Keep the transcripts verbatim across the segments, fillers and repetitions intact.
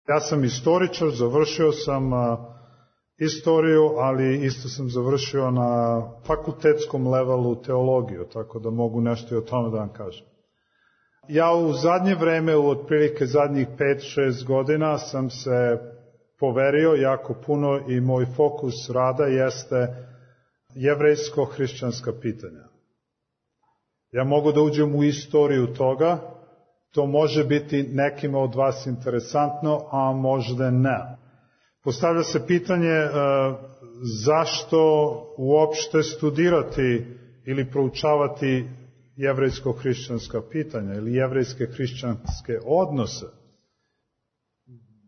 Ja sam istoričar, završio sam istoriju, ali isto sam završio na fakultetskom levelu teologiju, tako da mogu nešto i o tome da vam kažem. Ja u zadnje vreme, u otprilike zadnjih pet šest godina, sam se poverio jako puno i moj fokus rada jeste jevrejsko-hrišćanska pitanja. Ja mogu da uđem u istoriju toga, to može biti nekima od vas interesantno, a možda ne. Postavlja se pitanje e, zašto uopšte studirati ili proučavati jevrejsko-hrišćanska pitanja ili jevrejske-hrišćanske odnose.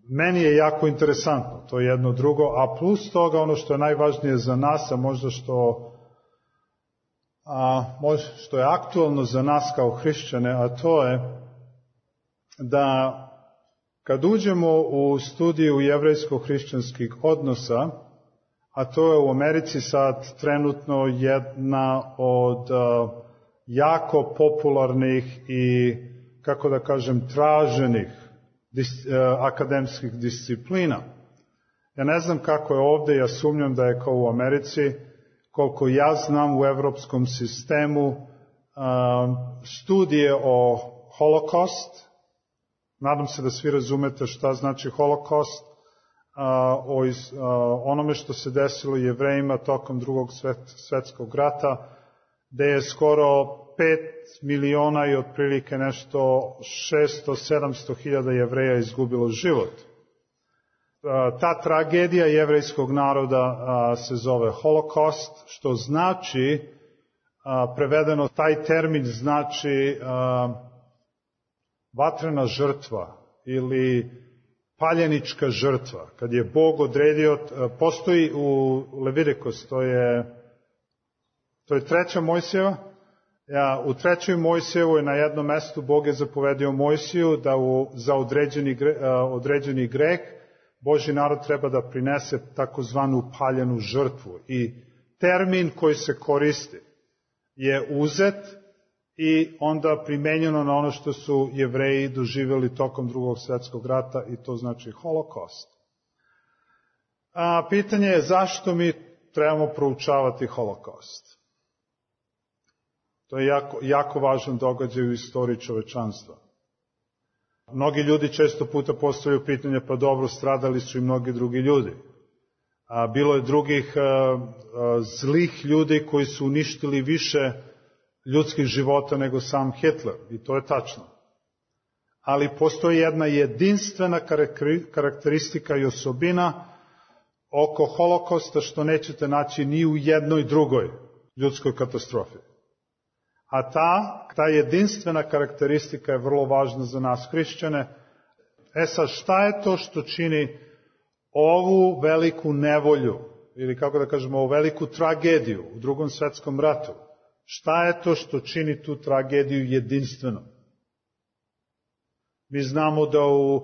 Meni je jako interesantno, to je jedno drugo, a plus toga ono što je najvažnije za nas, a možda što, a, možda što je aktualno za nas kao hrišćane, a to je da kad uđemo u studiju jevrejsko-hrišćanskih odnosa, a to je u Americi sad trenutno jedna od a, jako popularnih i, kako da kažem, traženih dis, a, akademskih disciplina. Ja ne znam kako je ovde, ja sumnjam da je kao u Americi, koliko ja znam u evropskom sistemu a, studije o holokost. Nadam se da svi razumete šta znači holokost, a, o iz, a, onome što se desilo Jevrejima tokom drugog svet, svetskog rata, gde je skoro pet miliona i otprilike nešto šesto sedamsto hiljada Jevreja izgubilo život. A, ta tragedija jevrejskog naroda a, se zove holokost, što znači, a, prevedeno taj termin znači a, vatrena žrtva ili paljenička žrtva. Kad je Bog odredio, postoji u Levitikos, to je, to je treća Mojsijeva. Ja, u trećoj Mojsijevoj na jednom mestu Bog je zapovedio Mojsiju da u, za određeni, određeni greh Božji narod treba da prinese takozvanu paljenu žrtvu. I termin koji se koristi je uzet i onda primenjeno na ono što su Jevreji doživjeli tokom drugog svjetskog rata i to znači holokost. A pitanje je zašto mi trebamo proučavati holokost. To je jako, jako važan događaj u istoriji čovečanstva. Mnogi ljudi često puta postavljaju pitanje, pa dobro, stradali su i mnogi drugi ljudi. A bilo je drugih a, a, zlih ljudi koji su uništili više ljudskih života nego sam Hitler, i to je tačno. Ali postoji jedna jedinstvena karakteristika i osobina oko holokosta što nećete naći ni u jednoj drugoj ljudskoj katastrofi. A ta, ta jedinstvena karakteristika je vrlo važna za nas hrišćane. E sad, šta je to što čini ovu veliku nevolju, ili kako da kažemo, ovu veliku tragediju u drugom svetskom ratu? Šta je to što čini tu tragediju jedinstvenom? Mi znamo da u,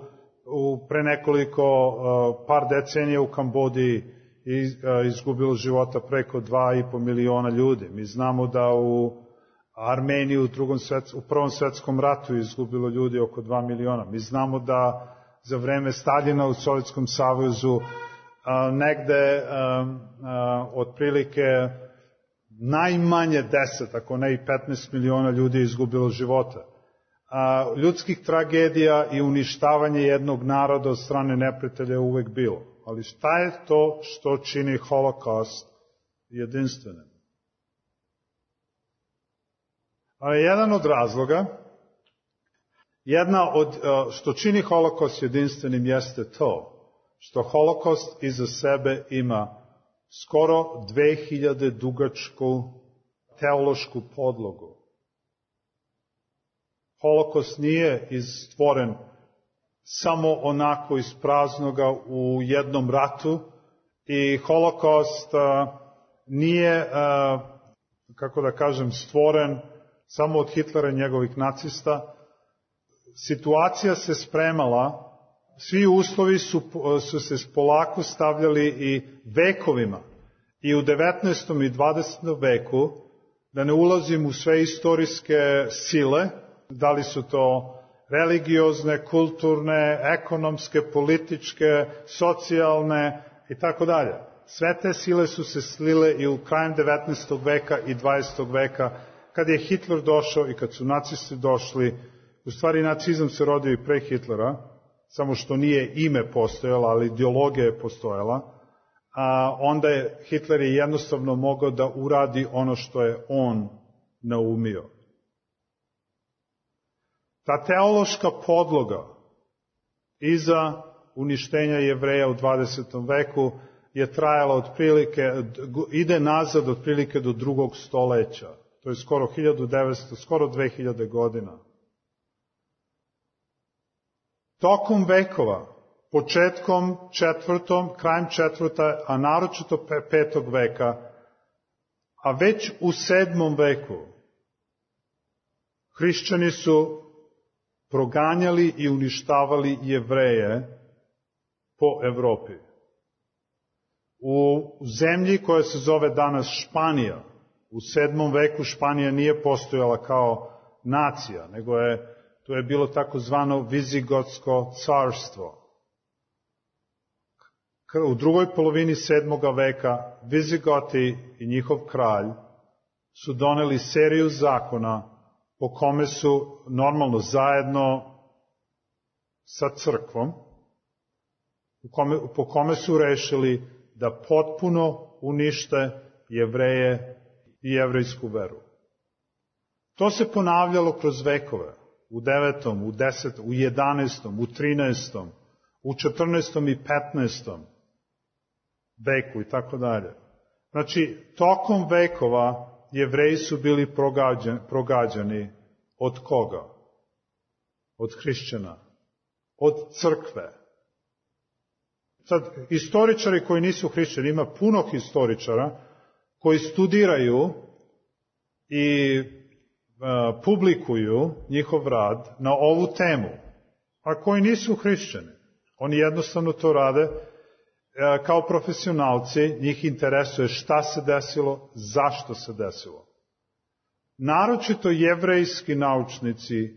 u pre nekoliko uh, par decenija u Kambodži iz, uh, izgubilo života preko dva i po miliona ljudi. Mi znamo da u Armeniji u, drugom svets, u prvom svetskom ratu izgubilo ljudi oko dva miliona. Mi znamo da za vreme Staljina u Sovjetskom savezu uh, negde uh, uh, otprilike najmanje deset, ako ne i petnaest miliona ljudi je izgubilo života. A, ljudskih tragedija i uništavanje jednog naroda od strane neprijatelja je uvek bilo. Ali šta je to što čini holokaust jedinstvenim? A jedan od razloga, jedna od što čini holokaust jedinstvenim jeste to što holokaust iza sebe ima skoro dve hiljade dugačku teološku podlogu. Holokaust nije stvoren samo onako iz praznoga u jednom ratu i holokaust uh, nije, uh, kako da kažem, stvoren samo od Hitlera i njegovih nacista. Situacija se spremala, svi uslovi su, su se polako stavljali i vekovima. I u devetnaestom i dvadesetom veku, da ne ulazim u sve istorijske sile, da li su to religiozne, kulturne, ekonomske, političke, socijalne i tako dalje. Sve te sile su se slile i u krajem devetnaestog veka i dvadesetog veka, kad je Hitler došao i kad su nacisti došli. U stvari nacizam se rodio i pre Hitlera, samo što nije ime postojalo, ali ideologija je postojala. A onda je Hitler je jednostavno mogao da uradi ono što je on naumio. Ta teološka podloga iza uništenja Jevreja u dvadesetom veku je trajala otprilike, ide nazad otprilike do drugog stoleća. To je skoro hiljadu devetsto, skoro dve hiljade godina. Tokom vekova, početkom četvrtom, krajem četvrta, a naročito petog veka, a već u sedmom veku, hrišćani su proganjali i uništavali Jevreje po Evropi. U zemlji koja se zove danas Španija, u sedmom veku Španija nije postojala kao nacija, nego je, to je bilo takozvano Vizigotsko carstvo. U drugoj polovini sedmoga veka Vizigoti i njihov kralj su doneli seriju zakona po kome su normalno zajedno sa crkvom, po kome su rešili da potpuno unište Jevreje i jevrejsku veru. To se ponavljalo kroz vekove, u devetom, u desetom, u jedanaestom, u trinaestom, u četrnaestom i petnaestom veku i tako dalje. Znači, tokom vekova Jevreji su bili progađani, progađani od koga? Od hrišćana, od crkve. Sad, istoričari koji nisu hrišćani, ima puno historičara koji studiraju i uh, publikuju njihov rad na ovu temu, a koji nisu hrišćani. Oni jednostavno to rade uh, kao profesionalci, njih interesuje šta se desilo, zašto se desilo. Naročito jevrejski naučnici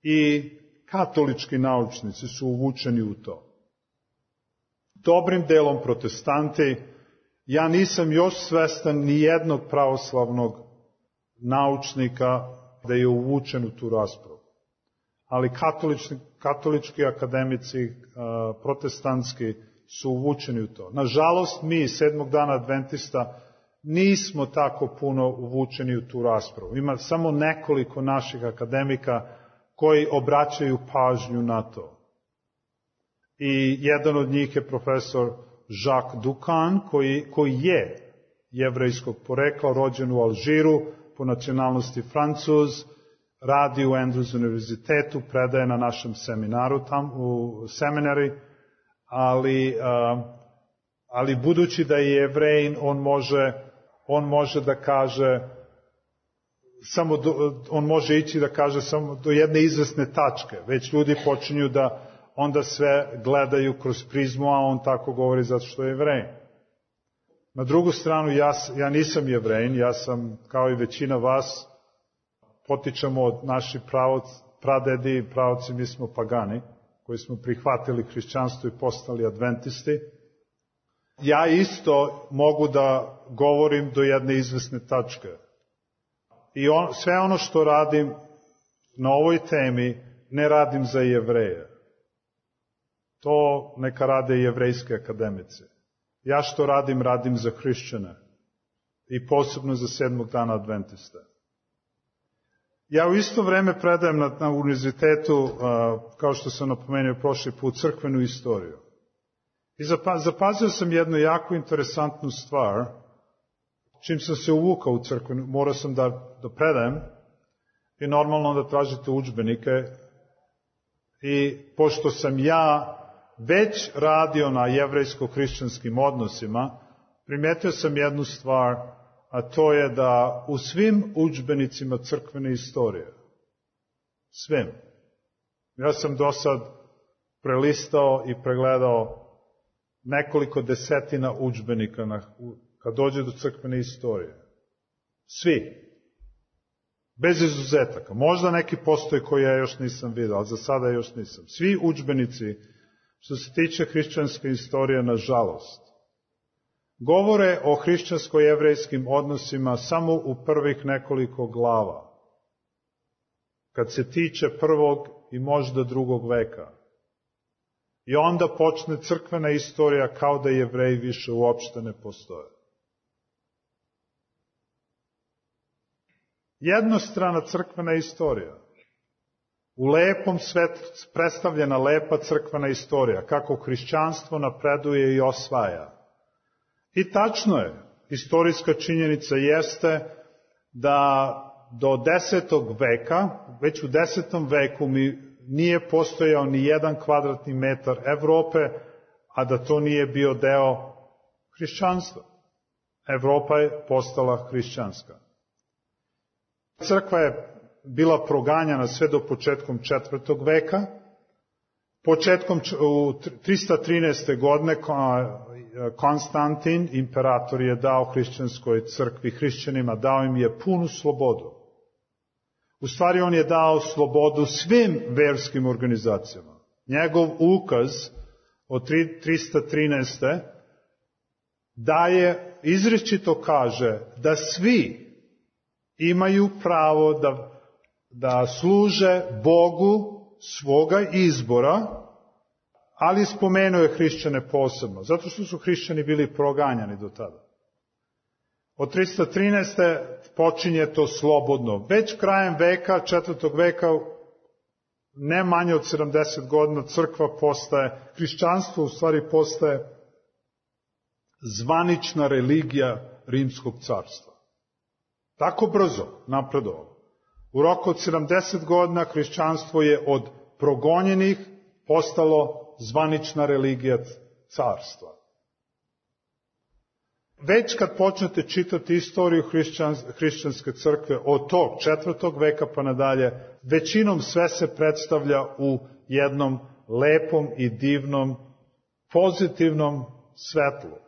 i katolički naučnici su uvučeni u to. Dobrim delom protestanti, ja nisam još svestan ni jednog pravoslavnog naučnika da je uvučen u tu raspravu. Ali katolički, katolički akademici, protestantski, su uvučeni u to. Nažalost, mi, sedmog dana adventista, nismo tako puno uvučeni u tu raspravu. Ima samo nekoliko naših akademika koji obraćaju pažnju na to. I jedan od njih je profesor Jacques Ducan, koji, koji je jevrejskog porekla, rođen u Alžiru, po nacionalnosti Francuz, radi u Andrews univerzitetu, predaje na našem seminaru tam, u seminari, ali, uh, ali budući da je Jevrejin, on može, on može da kaže, samo do, on može ići da kaže samo do jedne izvesne tačke. Već ljudi počinju da onda sve gledaju kroz prizmu, a on tako govori zato što je Jevrejin. Na drugu stranu, ja, ja nisam Jevrejin, ja sam, kao i većina vas, potičemo od naših pravoc, pradedi i pravoci, mi smo pagani, koji smo prihvatili hrišćanstvo i postali adventisti. Ja isto mogu da govorim do jedne izvesne tačke. I on, sve ono što radim na ovoj temi, ne radim za Jevreje. To neka rade jevrejske akademice. Ja što radim, radim za hrišćane. I posebno za sedmog dana adventista. Ja u isto vreme predajem na, na univerzitetu, uh, kao što sam napomenuo prošli put, crkvenu istoriju. I zapazio sam jednu jako interesantnu stvar. Čim sam se uvukao u crkvenu, morao sam da, da predajem i normalno da tražite udžbenike. I pošto sam ja već radio na jevrejsko-hrišćanskim odnosima, primetio sam jednu stvar, a to je da u svim udžbenicima crkvene istorije, svim, ja sam do sad prelistao i pregledao nekoliko desetina udžbenika na, kad dođe do crkvene istorije. Svi. Bez izuzetaka. Možda neki postoji koji ja još nisam vidio, ali za sada još nisam. Svi udžbenici, što se tiče hrišćanske istorije, nažalost, govore o hrišćansko-jevrejskim odnosima samo u prvih nekoliko glava. Kad se tiče prvog i možda drugog veka. I onda počne crkvena istorija kao da Jevreji više uopšte ne postoje. Jednostrana crkvena istorija. U lepom svetu predstavljena lepa crkvena istorija, kako hrišćanstvo napreduje i osvaja. I tačno je, istorijska činjenica jeste da do desetog veka, već u desetom veku mi nije postojao ni jedan kvadratni metar Evrope, a da to nije bio deo hrišćanstva. Evropa je postala hrišćanska. Crkva je bila proganjana sve do početkom četvrtog veka. Početkom u trista trinaeste. godine Konstantin, imperator, je dao hrišćanskoj crkvi, hrišćanima, dao im je punu slobodu. U stvari on je dao slobodu svim verskim organizacijama. Njegov ukaz od trista trinaeste. daje, izričito kaže da svi imaju pravo da, da služe Bogu svoga izbora, ali spomenuo je hrišćane posebno, zato što su hrišćani bili proganjani do tada. Od trista trinaeste. počinje to slobodno. Već krajem veka, četvrtog veka, ne manje od sedamdeset godina, crkva postaje, hrišćanstvo u stvari postaje zvanična religija Rimskog carstva. Tako brzo napredovalo. U roku od sedamdeset godina hrišćanstvo je od progonjenih postalo zvanična religija carstva. Već kad počnete čitati istoriju hrišćanske crkve od tog četvrtog veka pa nadalje, većinom sve se predstavlja u jednom lepom i divnom, pozitivnom svetlu.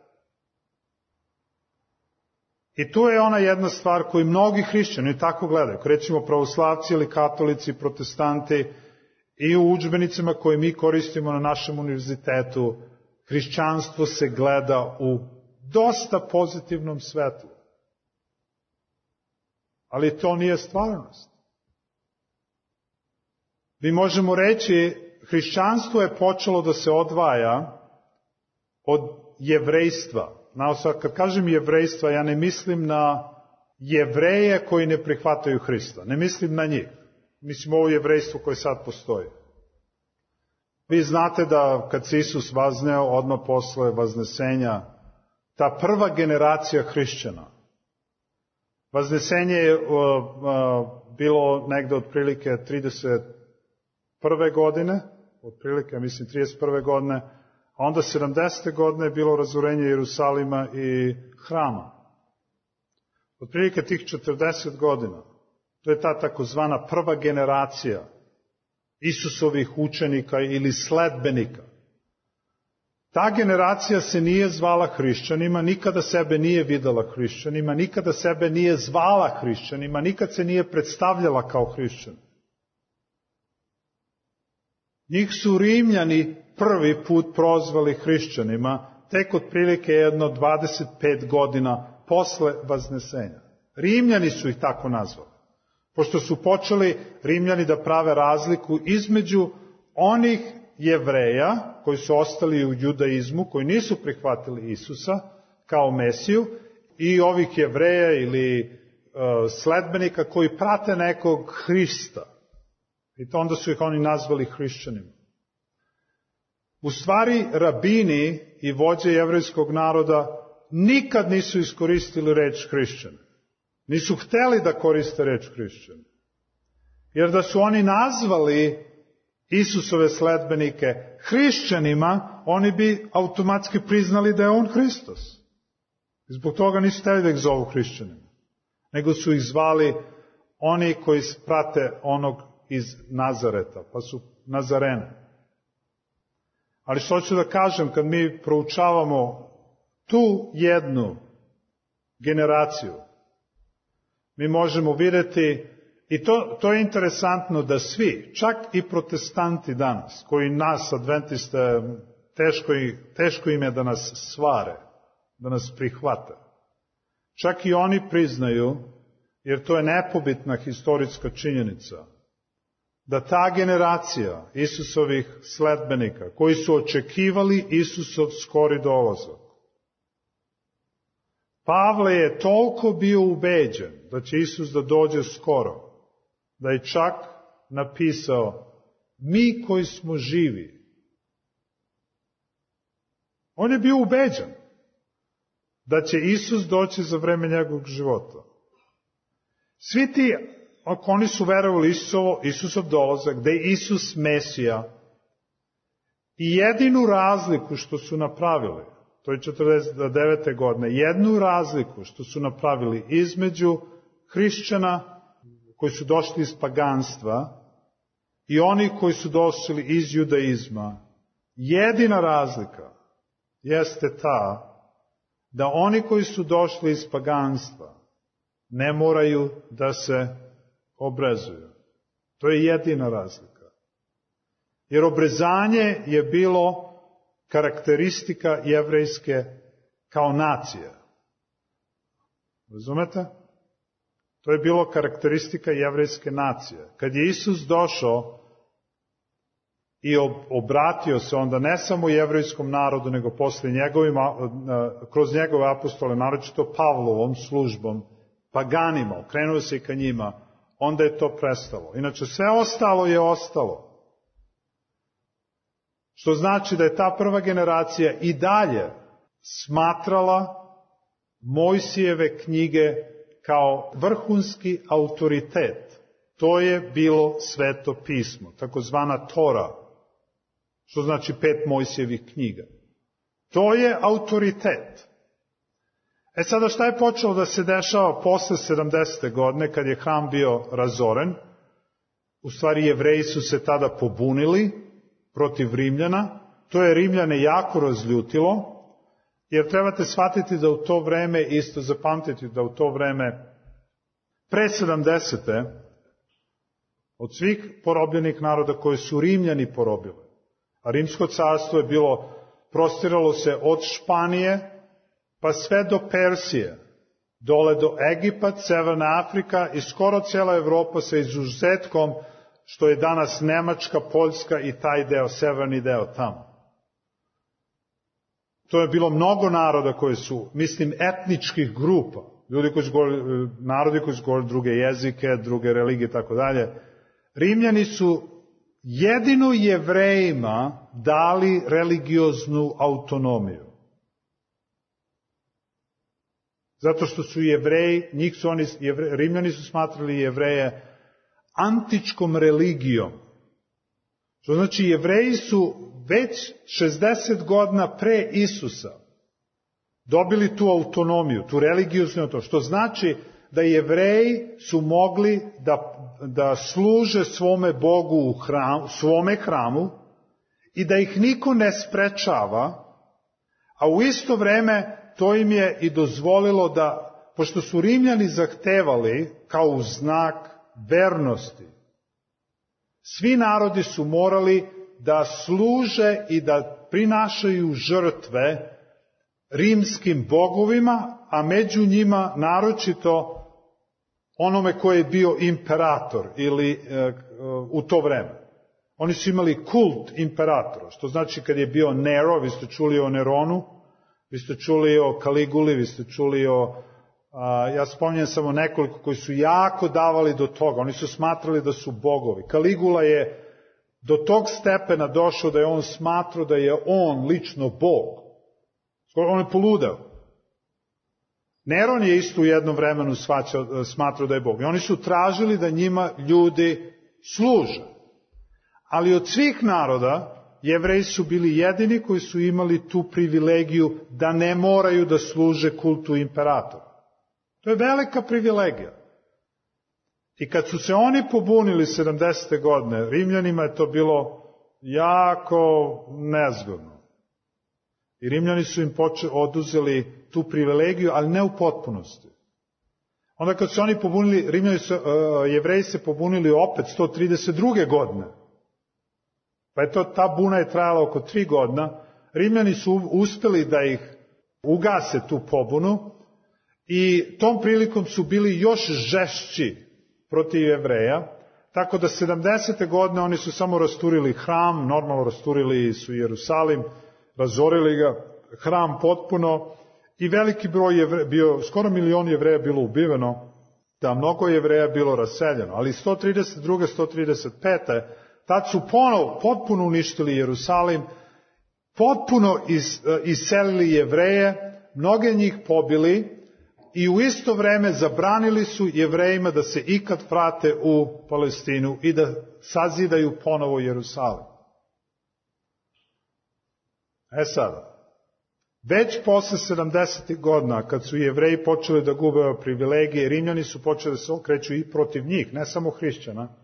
I tu je ona jedna stvar koju mnogi hrišćani tako gledaju. Recimo pravoslavci ili katolici, protestanti, i u udžbenicima koje mi koristimo na našem univerzitetu, hrišćanstvo se gleda u dosta pozitivnom svetlu. Ali to nije stvarnost. Mi možemo reći, hrišćanstvo je počelo da se odvaja od jevrejstva. Naosad, kad kažem jevrejstva, ja ne mislim na Jevreje koji ne prihvataju Hrista. Ne mislim na njih. Mislim ovo jevrejstvo koje sad postoji. Vi znate da kad se Isus vazneo, odmah posle vaznesenja, ta prva generacija hrišćana, vaznesenje je uh, uh, bilo negde otprilike trideset prve. godine, otprilike, mislim, trideset prve. godine, a onda sedamdesete. godine je bilo razorenje Jerusalima i hrama. Otprilike tih četrdeset godina, to je ta takozvana prva generacija Isusovih učenika ili sledbenika. Ta generacija se nije zvala hrišćanima, nikada sebe nije videla hrišćanima, nikada sebe nije zvala hrišćanima, nikad se nije predstavljala kao hrišćan. Njih su Rimljani prvi put prozvali hrišćanima, tek otprilike jedno dvadeset pet godina posle vaznesenja. Rimljani su ih tako nazvali, pošto su počeli Rimljani da prave razliku između onih Jevreja koji su ostali u judaizmu, koji nisu prihvatili Isusa kao Mesiju, i ovih Jevreja ili uh, sledbenika koji prate nekog Hrista. I to onda su ih oni nazvali hrišćanima. U stvari, rabini i vođe jevrejskog naroda nikad nisu iskoristili reč hrišćan. Nisu hteli da koriste reč hrišćan. Jer da su oni nazvali Isusove sledbenike hrišćanima, oni bi automatski priznali da je on Hristos. I zbog toga nisu hteli da ih zovu hrišćanima. Nego su ih zvali oni koji prate onog iz Nazareta, pa su Nazarene. Ali što ću da kažem, kad mi proučavamo tu jednu generaciju, mi možemo vidjeti I to, to je interesantno da svi, čak i protestanti danas, koji nas, adventiste, teško, teško im je da nas svare, da nas prihvate. Čak i oni priznaju, jer to je nepobitna historijska činjenica, da ta generacija Isusovih sledbenika, koji su očekivali Isusov skori dolazak, Pavle je toliko bio ubeđen da će Isus da dođe skoro, da je čak napisao, mi koji smo živi. On je bio ubeđen da će Isus doći za vreme njegovog života. Svi ti, ako oni su verovali Isusovo, Isusov dolazak, da je Isus Mesija, i jedinu razliku što su napravili, to je četrdeset devete godine, jednu razliku što su napravili između hrišćana koji su došli iz paganstva i oni koji su došli iz judaizma, jedina razlika jeste ta da oni koji su došli iz paganstva ne moraju da se obrezuju. To je jedina razlika. Jer obrezanje je bilo karakteristika jevrejske kao nacije. Razumete? To je bilo karakteristika jevrejske nacije. Kad je Isus došao i obratio se onda ne samo jevrejskom narodu, nego posle njegovim, kroz njegove apostole, naročito Pavlovom službom, paganima, okrenuo se i ka njima, onda je to prestalo. Inače, sve ostalo je ostalo. Što znači da je ta prva generacija i dalje smatrala Mojsijeve knjige kao vrhunski autoritet. To je bilo sveto pismo, takozvana Tora, što znači pet Mojsijevih knjiga. To je autoritet. E sada šta je počelo da se dešava posle sedamdesete godine, kad je hram bio razoren? U stvari Jevreji su se tada pobunili protiv Rimljana. To je Rimljane jako razljutilo, jer trebate shvatiti da u to vreme, isto zapamtiti da u to vreme, pre sedamdesete, od svih porobljenih naroda koje su Rimljani porobili, a Rimsko carstvo je bilo, prostiralo se od Španije, pa sve do Persije, dole do Egipat, Severna Afrika i skoro cijela Evropa sa izuzetkom što je danas Nemačka, Poljska i taj deo, severni deo tamo. To je bilo mnogo naroda koji su, mislim, etničkih grupa, ljudi koji su govorili, narodi koji su govorili druge jezike, druge religije i tako dalje. Rimljani su jedino Jevrejima dali religioznu autonomiju. Zato što su Jevreji, njih su oni, jevre, Rimljani su smatrali Jevreje antičkom religijom. Što znači Jevreji su već šezdeset godina pre Isusa dobili tu autonomiju, tu religioznu autonomiju, što znači da Jevreji su mogli da, da služe svome Bogu u hram, svome hramu i da ih niko ne sprečava, a u isto vreme to im je i dozvolilo da, pošto su Rimljani zahtevali kao u znak vernosti, svi narodi su morali da služe i da prinašaju žrtve rimskim bogovima, a među njima naročito onome koji je bio imperator ili e, u to vreme. Oni su imali kult imperatora, što znači kad je bio Nero, vi ste čuli o Neronu, vi ste čuli o Kaliguli, vi ste čuli o, a, ja spominjem samo nekoliko koji su jako davali do toga, oni su smatrali da su bogovi. Kaligula je do tog stepena došao da je on smatrao da je on lično Bog. On je poludeo. Neron je isto u jednom vremenu svaćao, smatrao da je Bog. I oni su tražili da njima ljudi služe. Ali od svih naroda, Jevreji su bili jedini koji su imali tu privilegiju da ne moraju da služe kultu imperatora. To je velika privilegija. I kad su se oni pobunili sedamdesete godine, Rimljanima je to bilo jako nezgodno. I Rimljani su im poče, oduzeli tu privilegiju, ali ne u potpunosti. Onda kad su oni pobunili, Rimljani su, uh, Jevreji se pobunili opet sto trideset druge godine. Pa je to, ta buna je trajala oko tri godina. Rimljani su uspeli da ih ugase tu pobunu i tom prilikom su bili još žešći protiv Jevreja, tako da sedamdesete godine oni su samo rasturili hram, normalno rasturili su Jerusalim, razorili ga, hram potpuno i veliki broj Jevreja, bio, skoro milion Jevreja bilo ubiveno, da mnogo Jevreja bilo raseljeno, ali sto trideset druge. sto trideset pete tad su ponovo potpuno uništili Jerusalim, potpuno is, iselili Jevreje, mnoge njih pobili i u isto vreme zabranili su Jevrejima da se ikad vrate u Palestinu i da sazidaju ponovo Jerusalim. E sada, već posle sedamdesetih godina, kad su Jevreji počeli da gube privilegije, Rimljani su počeli da se okreću i protiv njih, ne samo hrišćana.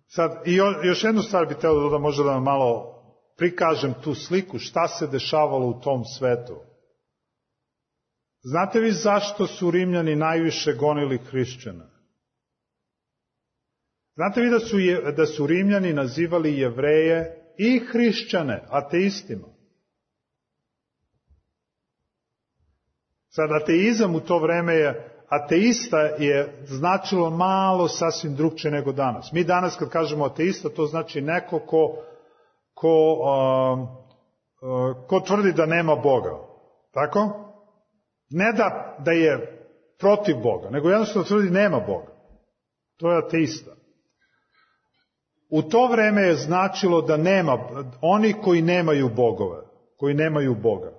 Sad, i još jednu stvar bih teo da dodam, možda da vam malo prikažem tu sliku, šta se dešavalo u tom svetu. Znate vi zašto su Rimljani najviše gonili hrišćana? Znate vi da su, da su Rimljani nazivali Jevreje i hrišćane ateistima? Sad, ateizam u to vreme je, ateista je značilo malo sasvim drugčije nego danas. Mi danas kad kažemo ateista, to znači neko ko, ko, uh, uh, ko tvrdi da nema Boga. Tako? Ne da, da je protiv Boga, nego jednostavno tvrdi nema Boga. To je ateista. U to vreme je značilo da nema, oni koji nemaju bogove, koji nemaju Boga.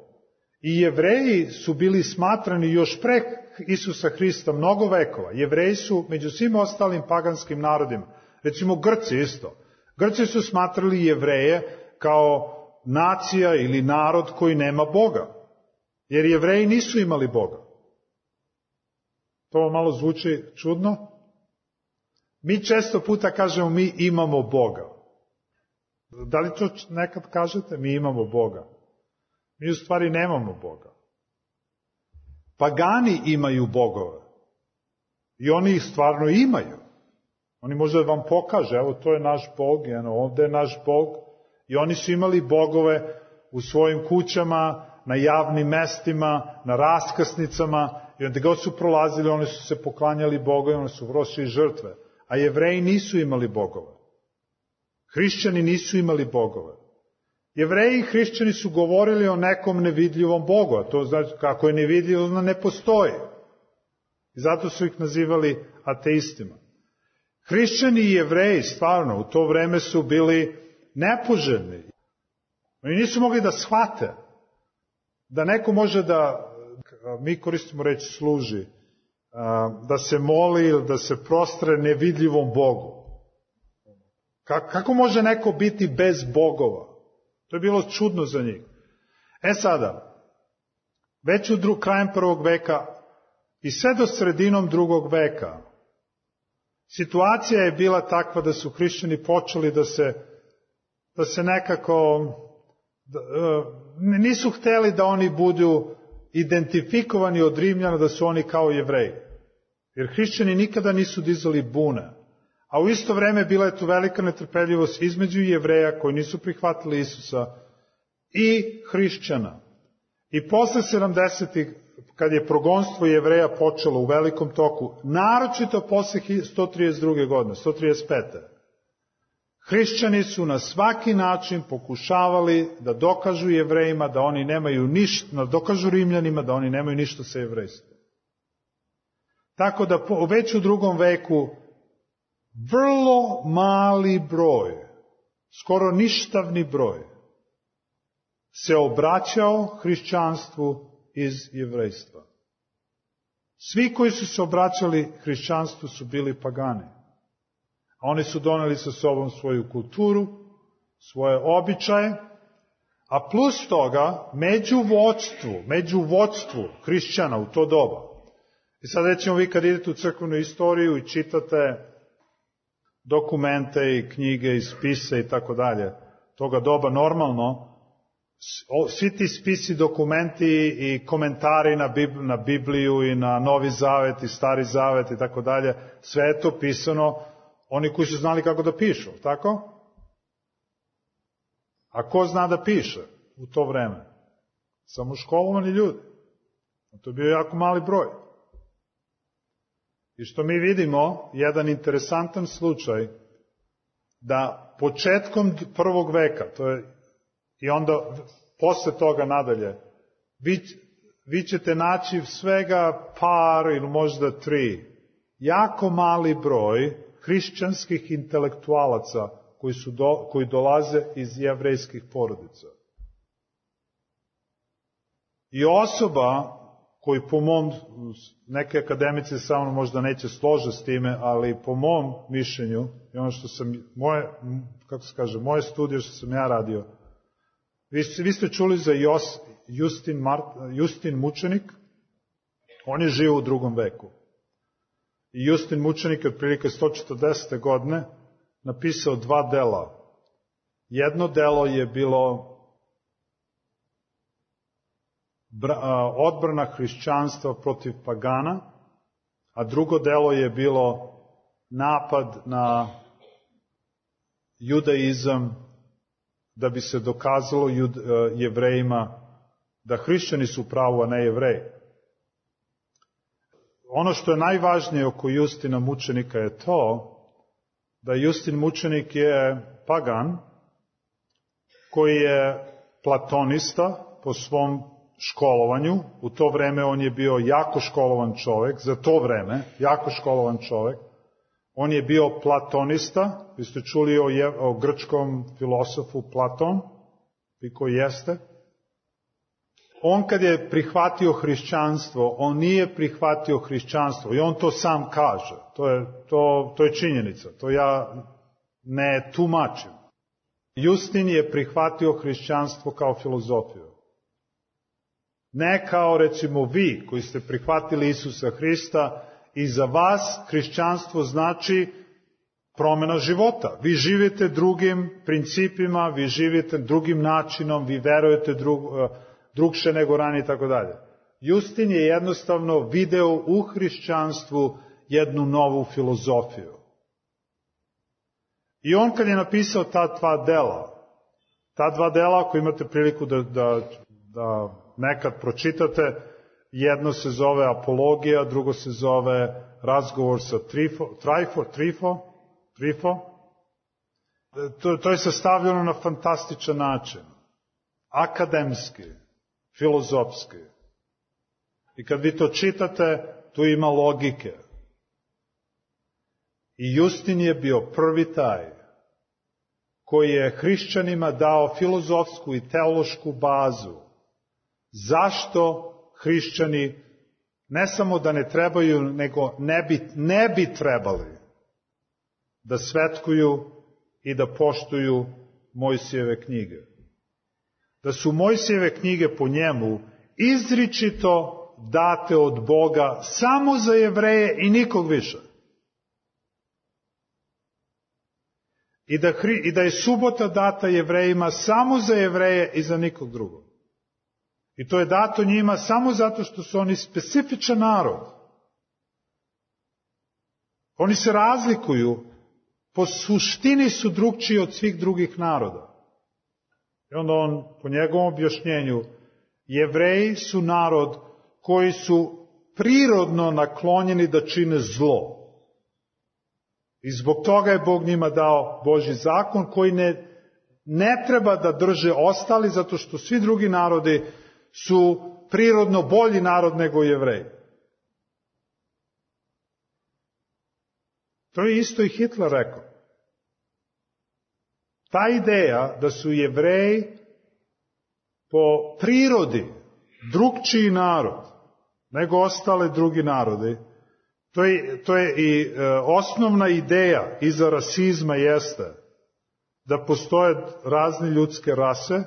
I Jevreji su bili smatrani još pre Isusa Hrista mnogo vekova. Jevreji su među svim ostalim paganskim narodima, recimo Grci isto. Grci su smatrali Jevreje kao nacija ili narod koji nema Boga. Jer Jevreji nisu imali Boga. To vam malo zvuči čudno? Mi često puta kažemo mi imamo Boga. Da li to nekad kažete? Mi imamo Boga. Mi u stvari nemamo Boga. Pagani imaju bogove. I oni ih stvarno imaju. Oni možda vam pokaže, evo to je naš Bog, eno, ovde je naš Bog. I oni su imali bogove u svojim kućama, na javnim mestima, na raskrsnicama, i onda god su prolazili, oni su se poklanjali Bogovima, oni su vršili žrtve. A Jevreji nisu imali bogove. Hrišćani nisu imali bogove. Jevreji i hrišćani su govorili o nekom nevidljivom Bogu, a to znači kako je nevidljivo, ono ne postoji. I zato su ih nazivali ateistima. Hrišćani i Jevreji stvarno u to vreme su bili nepoželjni. Oni nisu mogli da shvate da neko može da, mi koristimo reč služi, da se moli ili da se prostre nevidljivom Bogu. Kako može neko biti bez bogova? To je bilo čudno za njih. E sada, već u dru, krajem prvog veka i sve do sredinom drugog veka, situacija je bila takva da su hrišćani počeli da se, da se nekako, da, nisu hteli da oni budu identifikovani od Rimljana da su oni kao Jevreji. Jer hrišćani nikada nisu dizali bune. A u isto vreme bila je tu velika netrpeljivost između Jevreja koji nisu prihvatili Isusa i hrišćana. I posle sedamdesetih, kad je progonstvo Jevreja počelo u velikom toku, naročito posle sto trideset druge godine, sto trideset pete hrišćani su na svaki način pokušavali da dokažu Jevrejima da oni nemaju ništa, da dokažu Rimljanima da oni nemaju ništa sa jevrejstvom. Tako da već u drugom veku vrlo mali broj, skoro ništavni broj, se obraćao hrišćanstvu iz jevrejstva. Svi koji su se obraćali hrišćanstvu su bili pagani. A oni su doneli sa sobom svoju kulturu, svoje običaje, a plus toga, među vođstvu, među vođstvu hrišćana u to doba. I sad recimo vi kad idete u crkvenu istoriju i čitate dokumente i knjige i spise i tako dalje, toga doba normalno, svi ti spisi, dokumenti i komentari na, Bib, na Bibliju i na Novi Zavet i Stari Zavet i tako dalje, sve je to pisano oni koji su znali kako da pišu, tako? A ko zna da piše u to vreme? Samo školovani ljudi. To je bio jako mali broj. I što mi vidimo, jedan interesantan slučaj, da početkom prvog veka, to je, i onda posle toga nadalje, vi, vi ćete naći svega par ili možda tri, jako mali broj hrišćanskih intelektualaca koji, su do, koji dolaze iz jevrejskih porodica. I osoba koji po mom, neke akademice sa mnom možda neće složiti s time, ali po mom mišljenju, i ono što sam, moje, kako se kaže, moje studije što sam ja radio, vi, vi ste čuli za Jos, Justin, Mart, Justin Mučenik, on je živio u drugom veku. I Justin Mučenik je otprilike sto četrdesete godine napisao dva dela. Jedno delo je bilo odbrana hrišćanstva protiv pagana, a drugo delo je bilo napad na judaizam da bi se dokazalo jud, jevrejima da hrišćani su pravo, a ne jevreji. Ono što je najvažnije oko Justina Mučenika je to da Justin Mučenik je pagan koji je platonista po svom školovanju. U to vreme on je bio jako školovan čovjek, za to vreme, jako školovan čovjek. On je bio platonista, vi ste čuli o, je, o grčkom filosofu Platon, vi koji jeste. On kad je prihvatio hrišćanstvo, on nije prihvatio hrišćanstvo i on to sam kaže. To je, to, to je činjenica, to ja ne tumačim. Justin je prihvatio hrišćanstvo kao filozofiju. Ne kao recimo vi koji ste prihvatili Isusa Hrista i za vas hrišćanstvo znači promjena života. Vi živite drugim principima, vi živite drugim načinom, vi verujete drug, drugše nego ranije i tako dalje. Justin je jednostavno video u hrišćanstvu jednu novu filozofiju. I on kad je napisao ta dva dela, ta dva dela ako imate priliku da, da, da nekad pročitate, jedno se zove Apologija, drugo se zove Razgovor sa Trifo, Trifo, Trifo, Trifo. To, to je sastavljeno na fantastičan način. Akademski, filozofski. I kad vi to čitate, tu ima logike. I Justin je bio prvi taj koji je hrišćanima dao filozofsku i teološku bazu. Zašto hrišćani ne samo da ne trebaju, nego ne bi, ne bi trebali da svetkuju i da poštuju Mojsijeve knjige. Da su Mojsijeve knjige po njemu izričito date od Boga samo za Jevreje i nikog više. I da, I da je subota data Jevrejima samo za Jevreje i za nikog drugog. I to je dato njima samo zato što su oni specifičan narod. Oni se razlikuju, po suštini su drugčiji od svih drugih naroda. I onda on, po njegovom objašnjenju, Jevreji su narod koji su prirodno naklonjeni da čine zlo. I zbog toga je Bog njima dao Božji zakon koji ne, ne treba da drže ostali, zato što svi drugi narodi su prirodno bolji narod nego Jevreji. To je isto i Hitler rekao. Ta ideja da su Jevreji po prirodi drugčiji narod nego ostale drugi narodi, to je, to je i e, osnovna ideja iza rasizma jeste da postoje razne ljudske rase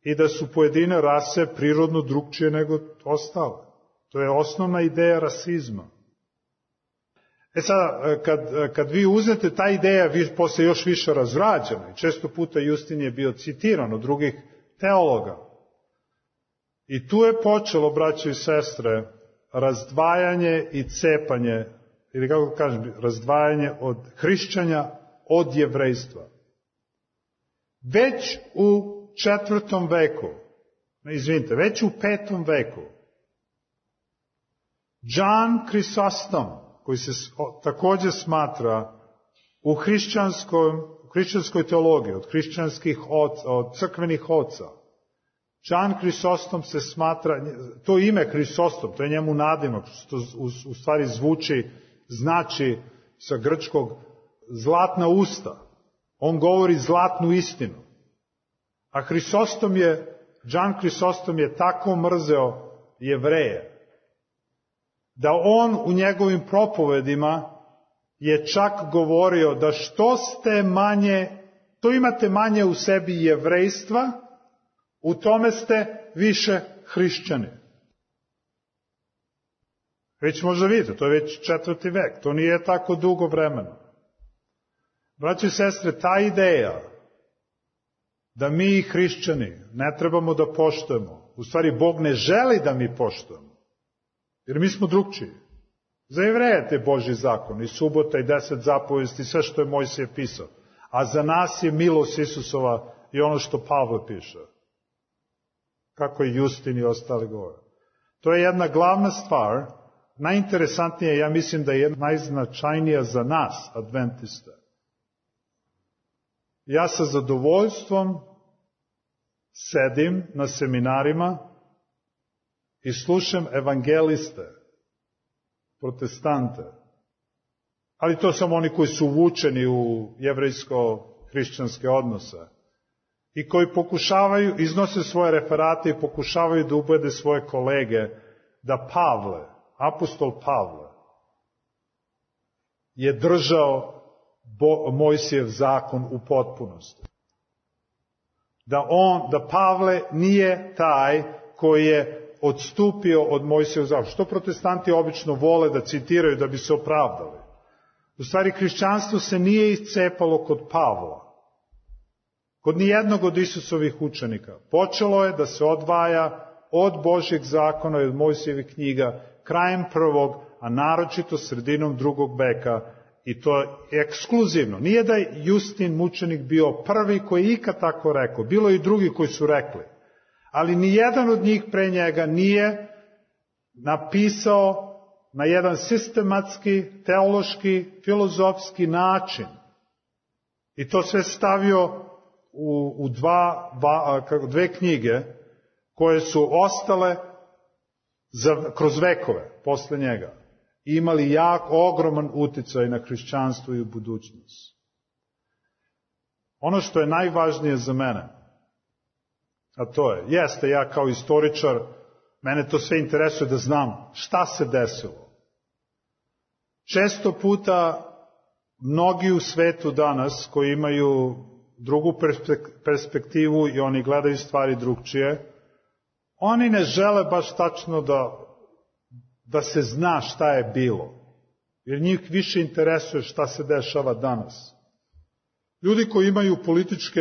i da su pojedine rase prirodno drugčije nego ostale. To je osnovna ideja rasizma. E sad, kad, kad vi uzmete ta ideja, vi posle još više razrađena, i često puta Justin je bio citiran od drugih teologa. I tu je počelo, braćo i sestre, razdvajanje i cepanje, ili kako kažem, razdvajanje od hrišćanja od jevrejstva. Već u četvrtom veku, ne, izvinite, već u petom veku, John Chrysostom, koji se također smatra u hrišćanskoj, u hrišćanskoj teologiji, od hrišćanskih oca, od crkvenih oca, John Chrysostom se smatra, to ime Chrysostom, to je njemu nadimak, što u, u stvari zvuči, znači sa grčkog zlatna usta. On govori zlatnu istinu. A Hrisostom je, John Chrysostom je tako mrzeo Jevreje, da on u njegovim propovedima je čak govorio da što ste manje, to imate manje u sebi jevrejstva, u tome ste više hrišćani. Već možda vidite, to je već četvrti vek, to nije tako dugo vremena. Braći i sestre, ta ideja da mi hrišćani ne trebamo da poštujemo, u stvari Bog ne želi da mi poštujemo, jer mi smo drugčiji. Za Jevreje je Božji zakon, i subota, i deset zapovesti, sve što je Mojsije pisao. A za nas je milost Isusova i ono što Pavle piše. Kako je Justin i ostali govore. To je jedna glavna stvar, najinteresantnija, ja mislim da je najznačajnija za nas, adventiste. Ja sa zadovoljstvom sedim na seminarima i slušam evangeliste, protestante. Ali to samo oni koji su uvučeni u jevrejsko-hrišćanske odnose i koji pokušavaju, iznose svoje referate i pokušavaju da ubede svoje kolege da Pavle, apostol Pavle, je držao Bo, Mojsijev zakon u potpunosti. Da on, da Pavle nije taj koji je odstupio od Mojsijevog zakona. Što protestanti obično vole da citiraju da bi se opravdali. U stvari, hrišćanstvo se nije iscepalo kod Pavla. Kod nijednog od Isusovih učenika. Počelo je da se odvaja od Božjeg zakona i od Mojsijevih knjiga krajem prvog, a naročito sredinom drugog veka. I to je ekskluzivno. Nije da je Justin mučenik bio prvi koji je ikad tako rekao. Bilo je i drugi koji su rekli. Ali nijedan od njih pre njega nije napisao na jedan sistematski, teološki, filozofski način. I to sve stavio u, u dva, ba, dve knjige koje su ostale za, kroz vekove posle njega. I imali jak, ogroman uticaj na hrišćanstvo i u budućnost. Ono što je najvažnije za mene, a to je, jeste ja kao istoričar, mene to sve interesuje da znam šta se desilo. Često puta mnogi u svetu danas koji imaju drugu perspektivu i oni gledaju stvari drugčije, oni ne žele baš tačno da, da se zna šta je bilo. Jer njih više interesuje šta se dešava danas. Ljudi koji imaju političke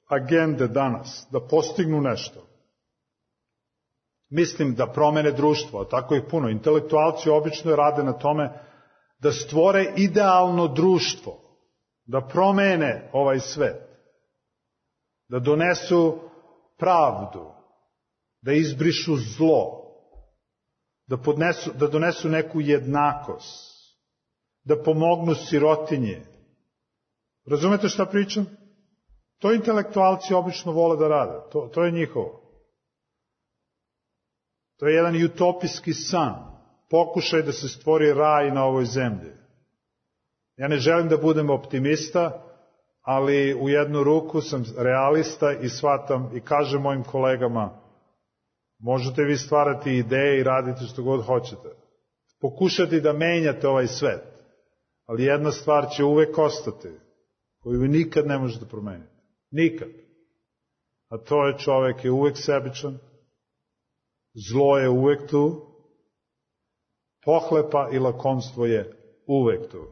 agende danas, da postignu nešto. Mislim da promene društvo, a tako ih puno. Intelektualci obično rade na tome da stvore idealno društvo, da promene ovaj svet, da donesu pravdu, da izbrišu zlo, da, podnesu, da donesu neku jednakost, da pomognu sirotinje. Razumete šta pričam? To intelektualci obično vole da rade. To, to je njihovo. To je jedan utopijski san. Pokušaj da se stvori raj na ovoj zemlji. Ja ne želim da budem optimista, ali u jednu ruku sam realista i shvatam i kažem mojim kolegama, možete vi stvarati ideje i raditi što god hoćete. Pokušati da menjate ovaj svet. Ali jedna stvar će uvek ostati, koju vi nikad ne možete promeniti. Nikad. A to je čovek je uvek sebičan, zlo je uvek tu, pohlepa i lakomstvo je uvek tu.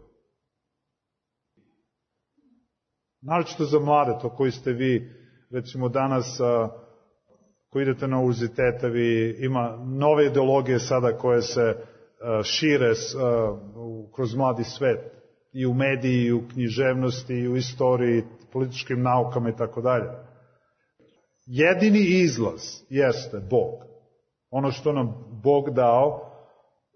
Naročito za mlade, to koji ste vi, recimo danas, Ko idete na univerzitete, vi ima nove ideologije sada koje se uh, šire uh, kroz mladi svet. I u mediji, i u književnosti, i u istoriji, političkim naukama i tako dalje. Jedini izlaz jeste Bog. Ono što nam Bog dao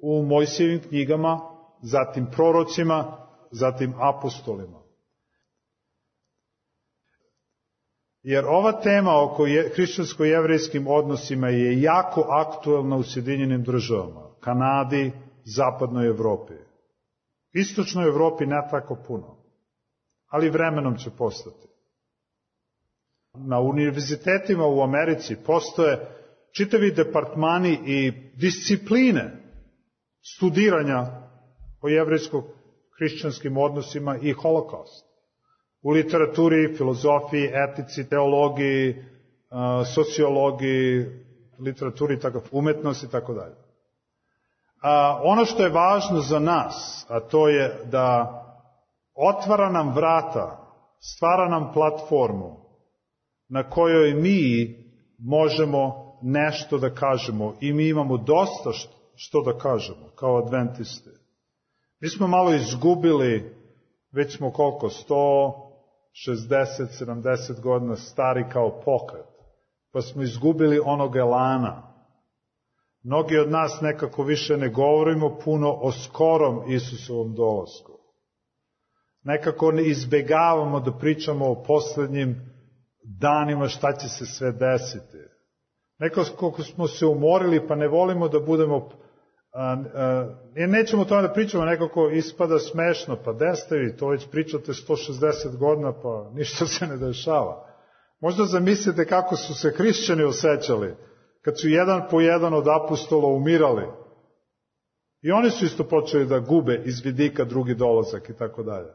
u Mojsijevim knjigama, zatim prorocima, zatim apostolima. Jer ova tema oko hrišćansko-jevrejskim odnosima je jako aktuelna u Sjedinjenim državama, Kanadi, zapadnoj Evropi. Istočnoj Evropi ne tako puno, ali vremenom će postati. Na univerzitetima u Americi postoje čitavi departmani i discipline studiranja o jevrejsko-hrišćanskim odnosima i holokaust. U literaturi, filozofiji, etici, teologiji, sociologiji, literaturi, umetnosti i tako dalje. Ono što je važno za nas, a to je da otvara nam vrata, stvara nam platformu na kojoj mi možemo nešto da kažemo i mi imamo dosta što da kažemo kao adventisti. Mi smo malo izgubili, već smo koliko, sto šezdeset sedamdeset godina stari kao pokret, pa smo izgubili onog elana. Mnogi od nas nekako više ne govorimo puno o skorom Isusovom dolasku. Nekako ne izbegavamo da pričamo o poslednjim danima šta će se sve desiti. Nekako smo se umorili pa ne volimo da budemo, a, a, nećemo o tome da pričamo, nekako ispada smešno, pa destevi, to već pričate sto šezdeset godina pa ništa se ne dešava. Možda zamislite kako su se hrišćani osjećali kad su jedan po jedan od apostola umirali. I oni su isto počeli da gube iz vidika drugi dolazak i tako dalje.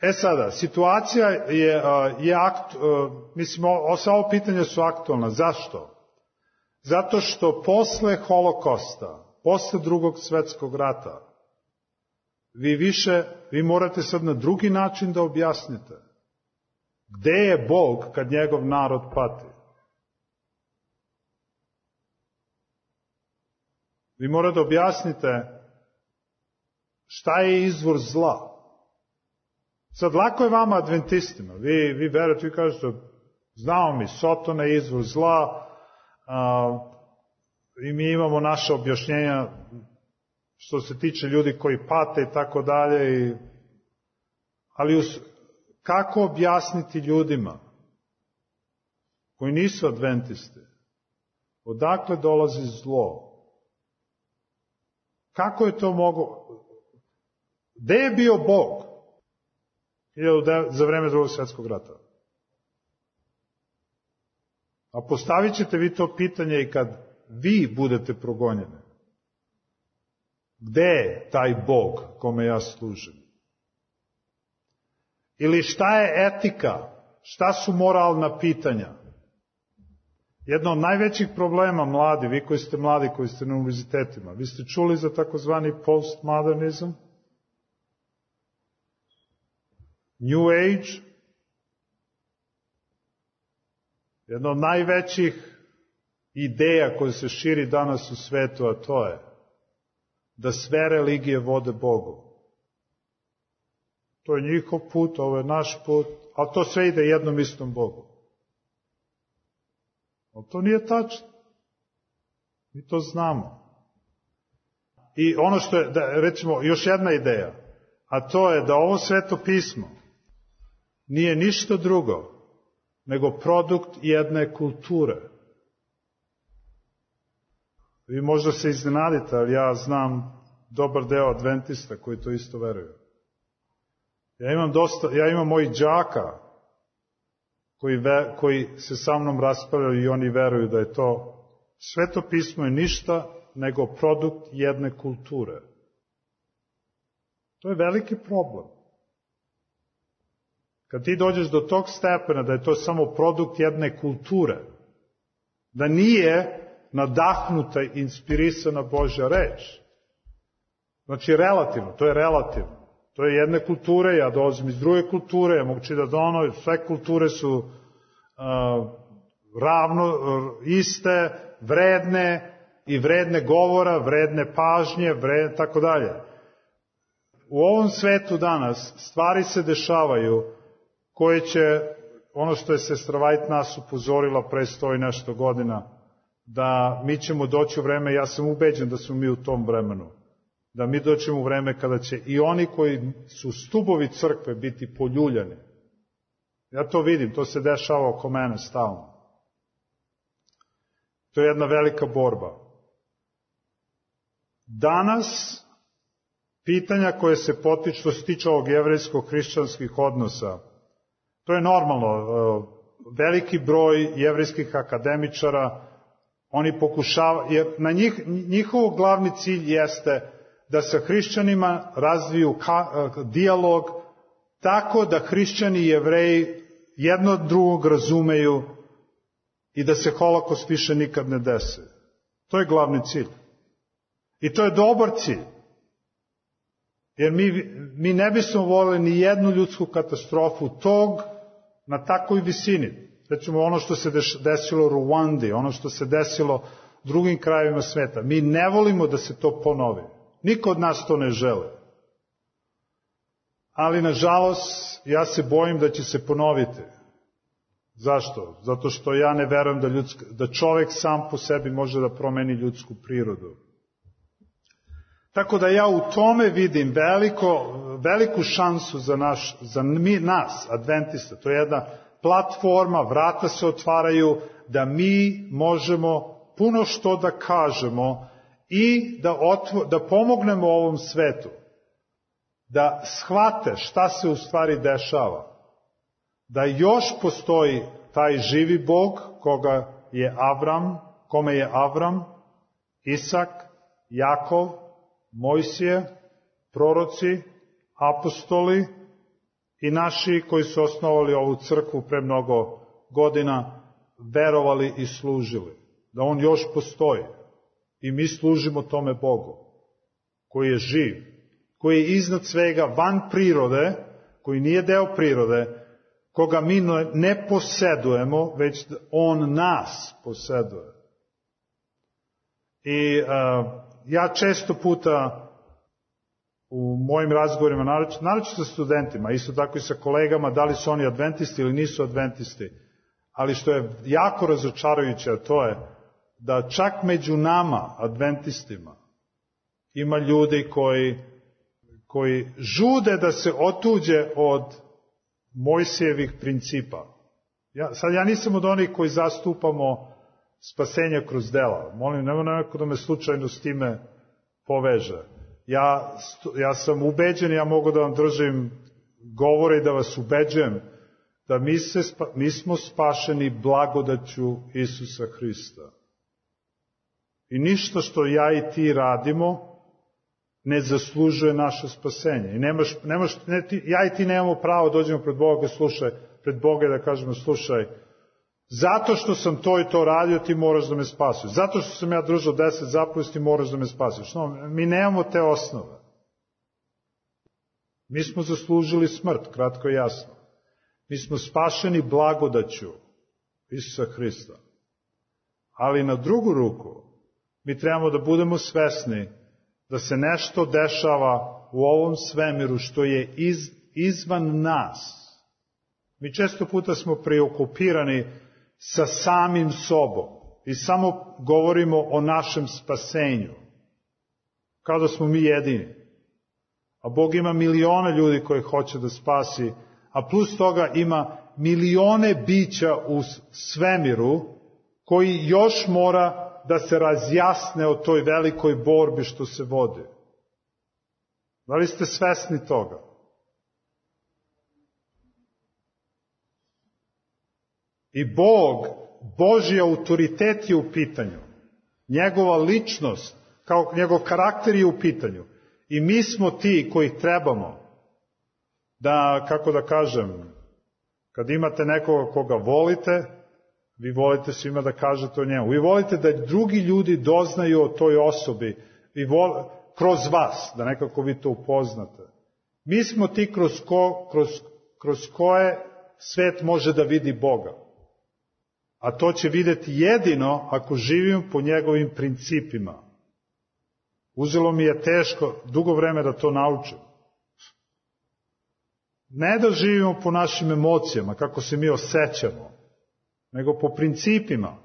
E sada, situacija je, je akt, mislim, sva ovo pitanja su aktualna. Zašto? Zato što posle holokosta, posle drugog svetskog rata, vi više, vi morate sad na drugi način da objasnite. Gde je Bog kad njegov narod pati? Vi morate da objasnite šta je izvor zla. Sad, lako je vama adventistima. Vi, vi verujete, vi kažete, znamo mi, Sotona je izvor zla, a, i mi imamo naše objašnjenja što se tiče ljudi koji pate i tako dalje. I, ali us, kako objasniti ljudima koji nisu adventisti? Odakle dolazi zlo? Kako je to moglo? Gde je bio Bog za vreme drugog svjetskog rata? A postavit ćete vi to pitanje i kad vi budete progonjeni. Gde je taj Bog kome ja služim? Ili šta je etika? Šta su moralna pitanja? Jedno od najvećih problema, mladi, vi koji ste mladi, koji ste na univerzitetima, vi ste čuli za takozvani postmodernizam, New Age, jedna od najvećih ideja koja se širi danas u svetu, a to je da sve religije vode Bogu. To je njihov put, ovo je naš put, ali to sve ide jednom istom Bogu. Ali to nije tačno. Mi to znamo. I ono što je, da, recimo, još jedna ideja, a to je da ovo sveto pismo nije ništa drugo nego produkt jedne kulture. Vi možda se iznenadite, ali ja znam dobar deo adventista koji to isto veruju. Ja imam dosta, ja imam mojih đaka koji, ve, koji se sa mnom raspravljaju i oni veruju da je to sveto pismo je ništa nego produkt jedne kulture. To je veliki problem. Kad ti dođeš do tog stepena da je to samo produkt jedne kulture, da nije nadahnuta i inspirisana Božja reč. Znači relativno, to je relativno. To je jedne kulture, ja dolazim iz druge kulture, ja mogu čitati da ono, sve kulture su uh, ravno, iste, vredne i vredne govora, vredne pažnje, vredne, tako dalje. U ovom svetu danas stvari se dešavaju koje će, ono što je sestra White nas upozorila pre sto i nešto godina, da mi ćemo doći u vreme, ja sam ubeđen da smo mi u tom vremenu, da mi doćemo u vreme kada će i oni koji su stubovi crkve biti poljuljani. Ja to vidim, to se dešava oko mene stalno. To je jedna velika borba. Danas, pitanja koje se potiču, što se tiče ovog jevrejsko-hrišćanskih odnosa, to je normalno. Veliki broj jevrejskih akademičara, oni pokušavaju, jer na njih, njihov glavni cilj jeste da sa hrišćanima razviju ka, dijalog tako da hrišćani i jevreji jedno od drugog razumeju i da se holokaust više nikad ne desi. To je glavni cilj. I to je dobar cilj. Jer mi, mi ne bismo voljeli ni jednu ljudsku katastrofu tog na takvoj visini. Recimo ono što se desilo u Ruandi, ono što se desilo drugim krajevima sveta. Mi ne volimo da se to ponovi. Niko od nas to ne želi. Ali, nažalost, ja se bojim da će se ponoviti. Zašto? Zato što ja ne verujem da, ljudska, da čovek sam po sebi može da promeni ljudsku prirodu. Tako da ja u tome vidim veliko, veliku šansu za, naš, za mi, nas, adventista. To je jedna platforma, vrata se otvaraju, da mi možemo puno što da kažemo i da, otvo, da pomognemo ovom svetu, da shvate šta se u stvari dešava. Da još postoji taj živi Bog koga je Avram, kome je Avram, Isak, Jakov, Mojsije, proroci, apostoli i naši koji su osnovali ovu crkvu pre mnogo godina, verovali i služili. Da on još postoji. I mi služimo tome Bogu, koji je živ, koji je iznad svega van prirode, koji nije deo prirode, koga mi ne posedujemo, već on nas poseduje. I uh, ja često puta u mojim razgovorima, naročito sa studentima, isto tako i sa kolegama, da li su oni adventisti ili nisu adventisti, ali što je jako razočarajuće, a to je da čak među nama, adventistima, ima ljudi koji, koji žude da se otuđe od Mojsijevih principa. Ja, sad ja nisam od onih koji zastupamo spasenje kroz dela. Molim, nema neko da me slučajno s time poveže. Ja, ja sam ubeđen, ja mogu da vam držim govore i da vas ubeđujem da mi, se, mi smo spašeni blagodaću Isusa Hrista. I ništa što ja i ti radimo ne zaslužuje naše spasenje. I nemaš, nemaš, ne, ti, ja i ti nemamo pravo da dođemo pred Boga, slušaj, pred Boga da kažemo, slušaj, zato što sam to i to radio, ti moraš da me spasiš. Zato što sam ja držao deset zapovesti, ti moraš da me spasiš. No, mi nemamo te osnove. Mi smo zaslužili smrt, kratko i jasno. Mi smo spašeni blagodaću Isusa Hrista. Ali na drugu ruku, mi trebamo da budemo svesni da se nešto dešava u ovom svemiru što je iz, izvan nas. Mi često puta smo preokupirani sa samim sobom i samo govorimo o našem spasenju, kao da smo mi jedini. A Bog ima milione ljudi koje hoće da spasi, a plus toga ima milione bića u svemiru koji još mora da se razjasne o toj velikoj borbi što se vodi. Da li ste svesni toga? I Bog, Božji autoritet je u pitanju. Njegova ličnost, kao njegov karakter je u pitanju. I mi smo ti koji trebamo da, kako da kažem, kad imate nekoga koga volite, vi volite svima da kažete o njemu. Vi volite da drugi ljudi doznaju o toj osobi i vol, kroz vas, da nekako vi to upoznate. Mi smo ti kroz, ko, kroz, kroz koje svet može da vidi Boga. A to će vidjeti jedino ako živim po njegovim principima. Uzelo mi je teško, dugo vreme da to naučim. Ne da živimo po našim emocijama, kako se mi osjećamo, nego po principima.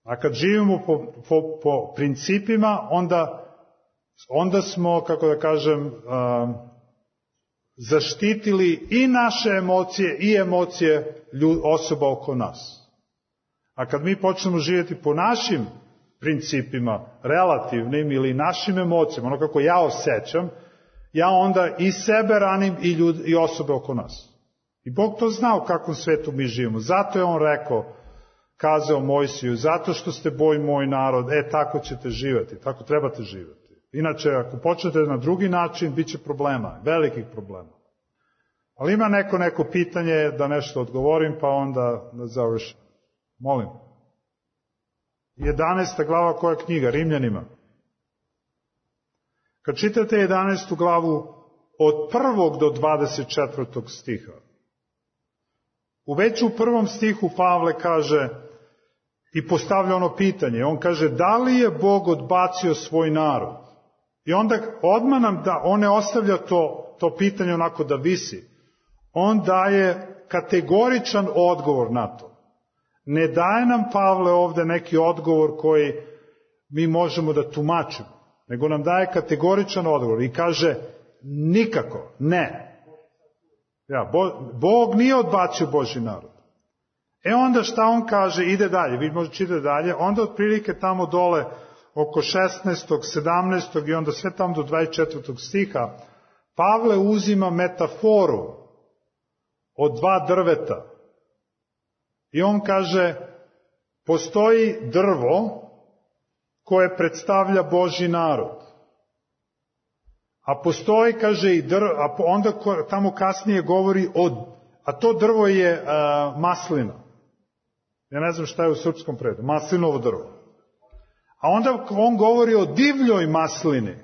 A kad živimo po, po, po principima, onda, onda smo, kako da kažem, um, zaštitili i naše emocije i emocije ljud, osoba oko nas. A kad mi počnemo živjeti po našim principima, relativnim ili našim emocijama, ono kako ja osjećam, ja onda i sebe ranim i, ljud, i osobe oko nas. I Bog to zna u kakvom svetu mi živimo. Zato je On rekao, kazao Mojsiju, zato što ste boj moj narod, e tako ćete živjeti, tako trebate živjeti. Inače, ako počnete na drugi način, bit će problema, velikih problema. Ali ima neko neko pitanje da nešto odgovorim, pa onda da završim. Molim. jedanaesta glava koja knjiga? Rimljanima. Kad čitate jedanaestu glavu od prvog do dvadeset četvrtog stiha, u već u prvom stihu Pavle kaže i postavlja ono pitanje, on kaže da li je Bog odbacio svoj narod? I onda odmah nam da, on ne ostavlja to, to pitanje onako da visi. On daje kategoričan odgovor na to. Ne daje nam Pavle ovde neki odgovor koji mi možemo da tumačimo, nego nam daje kategoričan odgovor i kaže nikako, ne. Ja, Bo, Bog nije odbacio Božji narod. E onda šta on kaže, ide dalje, vi možete čitati dalje, onda otprilike tamo dole oko šesnaestog, sedamnaestog i onda sve tamo do dvadeset četvrtog stiha, Pavle uzima metaforu od dva drveta. I on kaže, postoji drvo koje predstavlja Božji narod. A postoji, kaže, i drvo, a onda tamo kasnije govori o, a to drvo je a, maslina. Ja ne znam šta je u srpskom prevodu, maslinovo drvo. A onda on govori o divljoj maslini.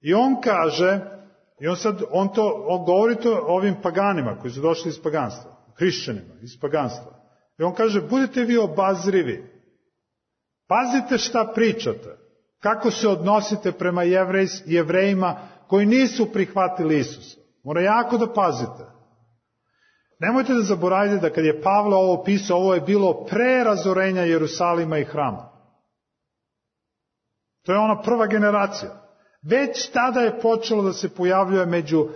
I on kaže, i on sad, on to, on govori to ovim paganima koji su došli iz paganstva, hrišćanima iz paganstva. I on kaže, budite vi obazrivi. Pazite šta pričate. Kako se odnosite prema jevrejs, jevrejima koji nisu prihvatili Isusa. Mora jako da pazite. Nemojte da zaboravite da kad je Pavle ovo pisao, ovo je bilo pre razorenja Jerusalima i hrama. To je ona prva generacija. Već tada je počelo da se pojavljuje među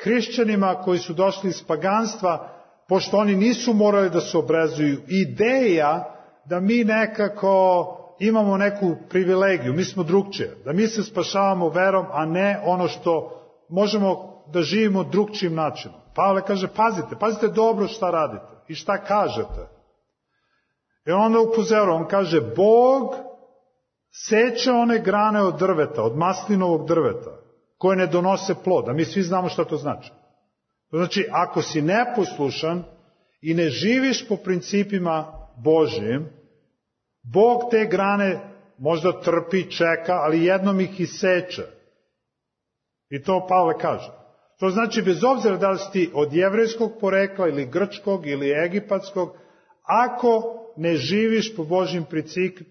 hrišćanima koji su došli iz paganstva, pošto oni nisu morali da se obrezuju, ideja da mi nekako imamo neku privilegiju, mi smo drugčije, da mi se spašavamo verom, a ne ono što možemo da živimo drugčijim načinom. Pavle kaže, pazite, pazite dobro šta radite i šta kažete. I onda upozorava, on kaže, Bog seče one grane od drveta, od maslinovog drveta, koje ne donose plod, a mi svi znamo šta to znači. To znači, ako si neposlušan i ne živiš po principima Božjim, Bog te grane možda trpi, čeka, ali jednom ih iseče. I to Pavle kaže. To znači, bez obzira da li si ti od jevrejskog porekla ili grčkog ili egipatskog, ako ne živiš po Božjim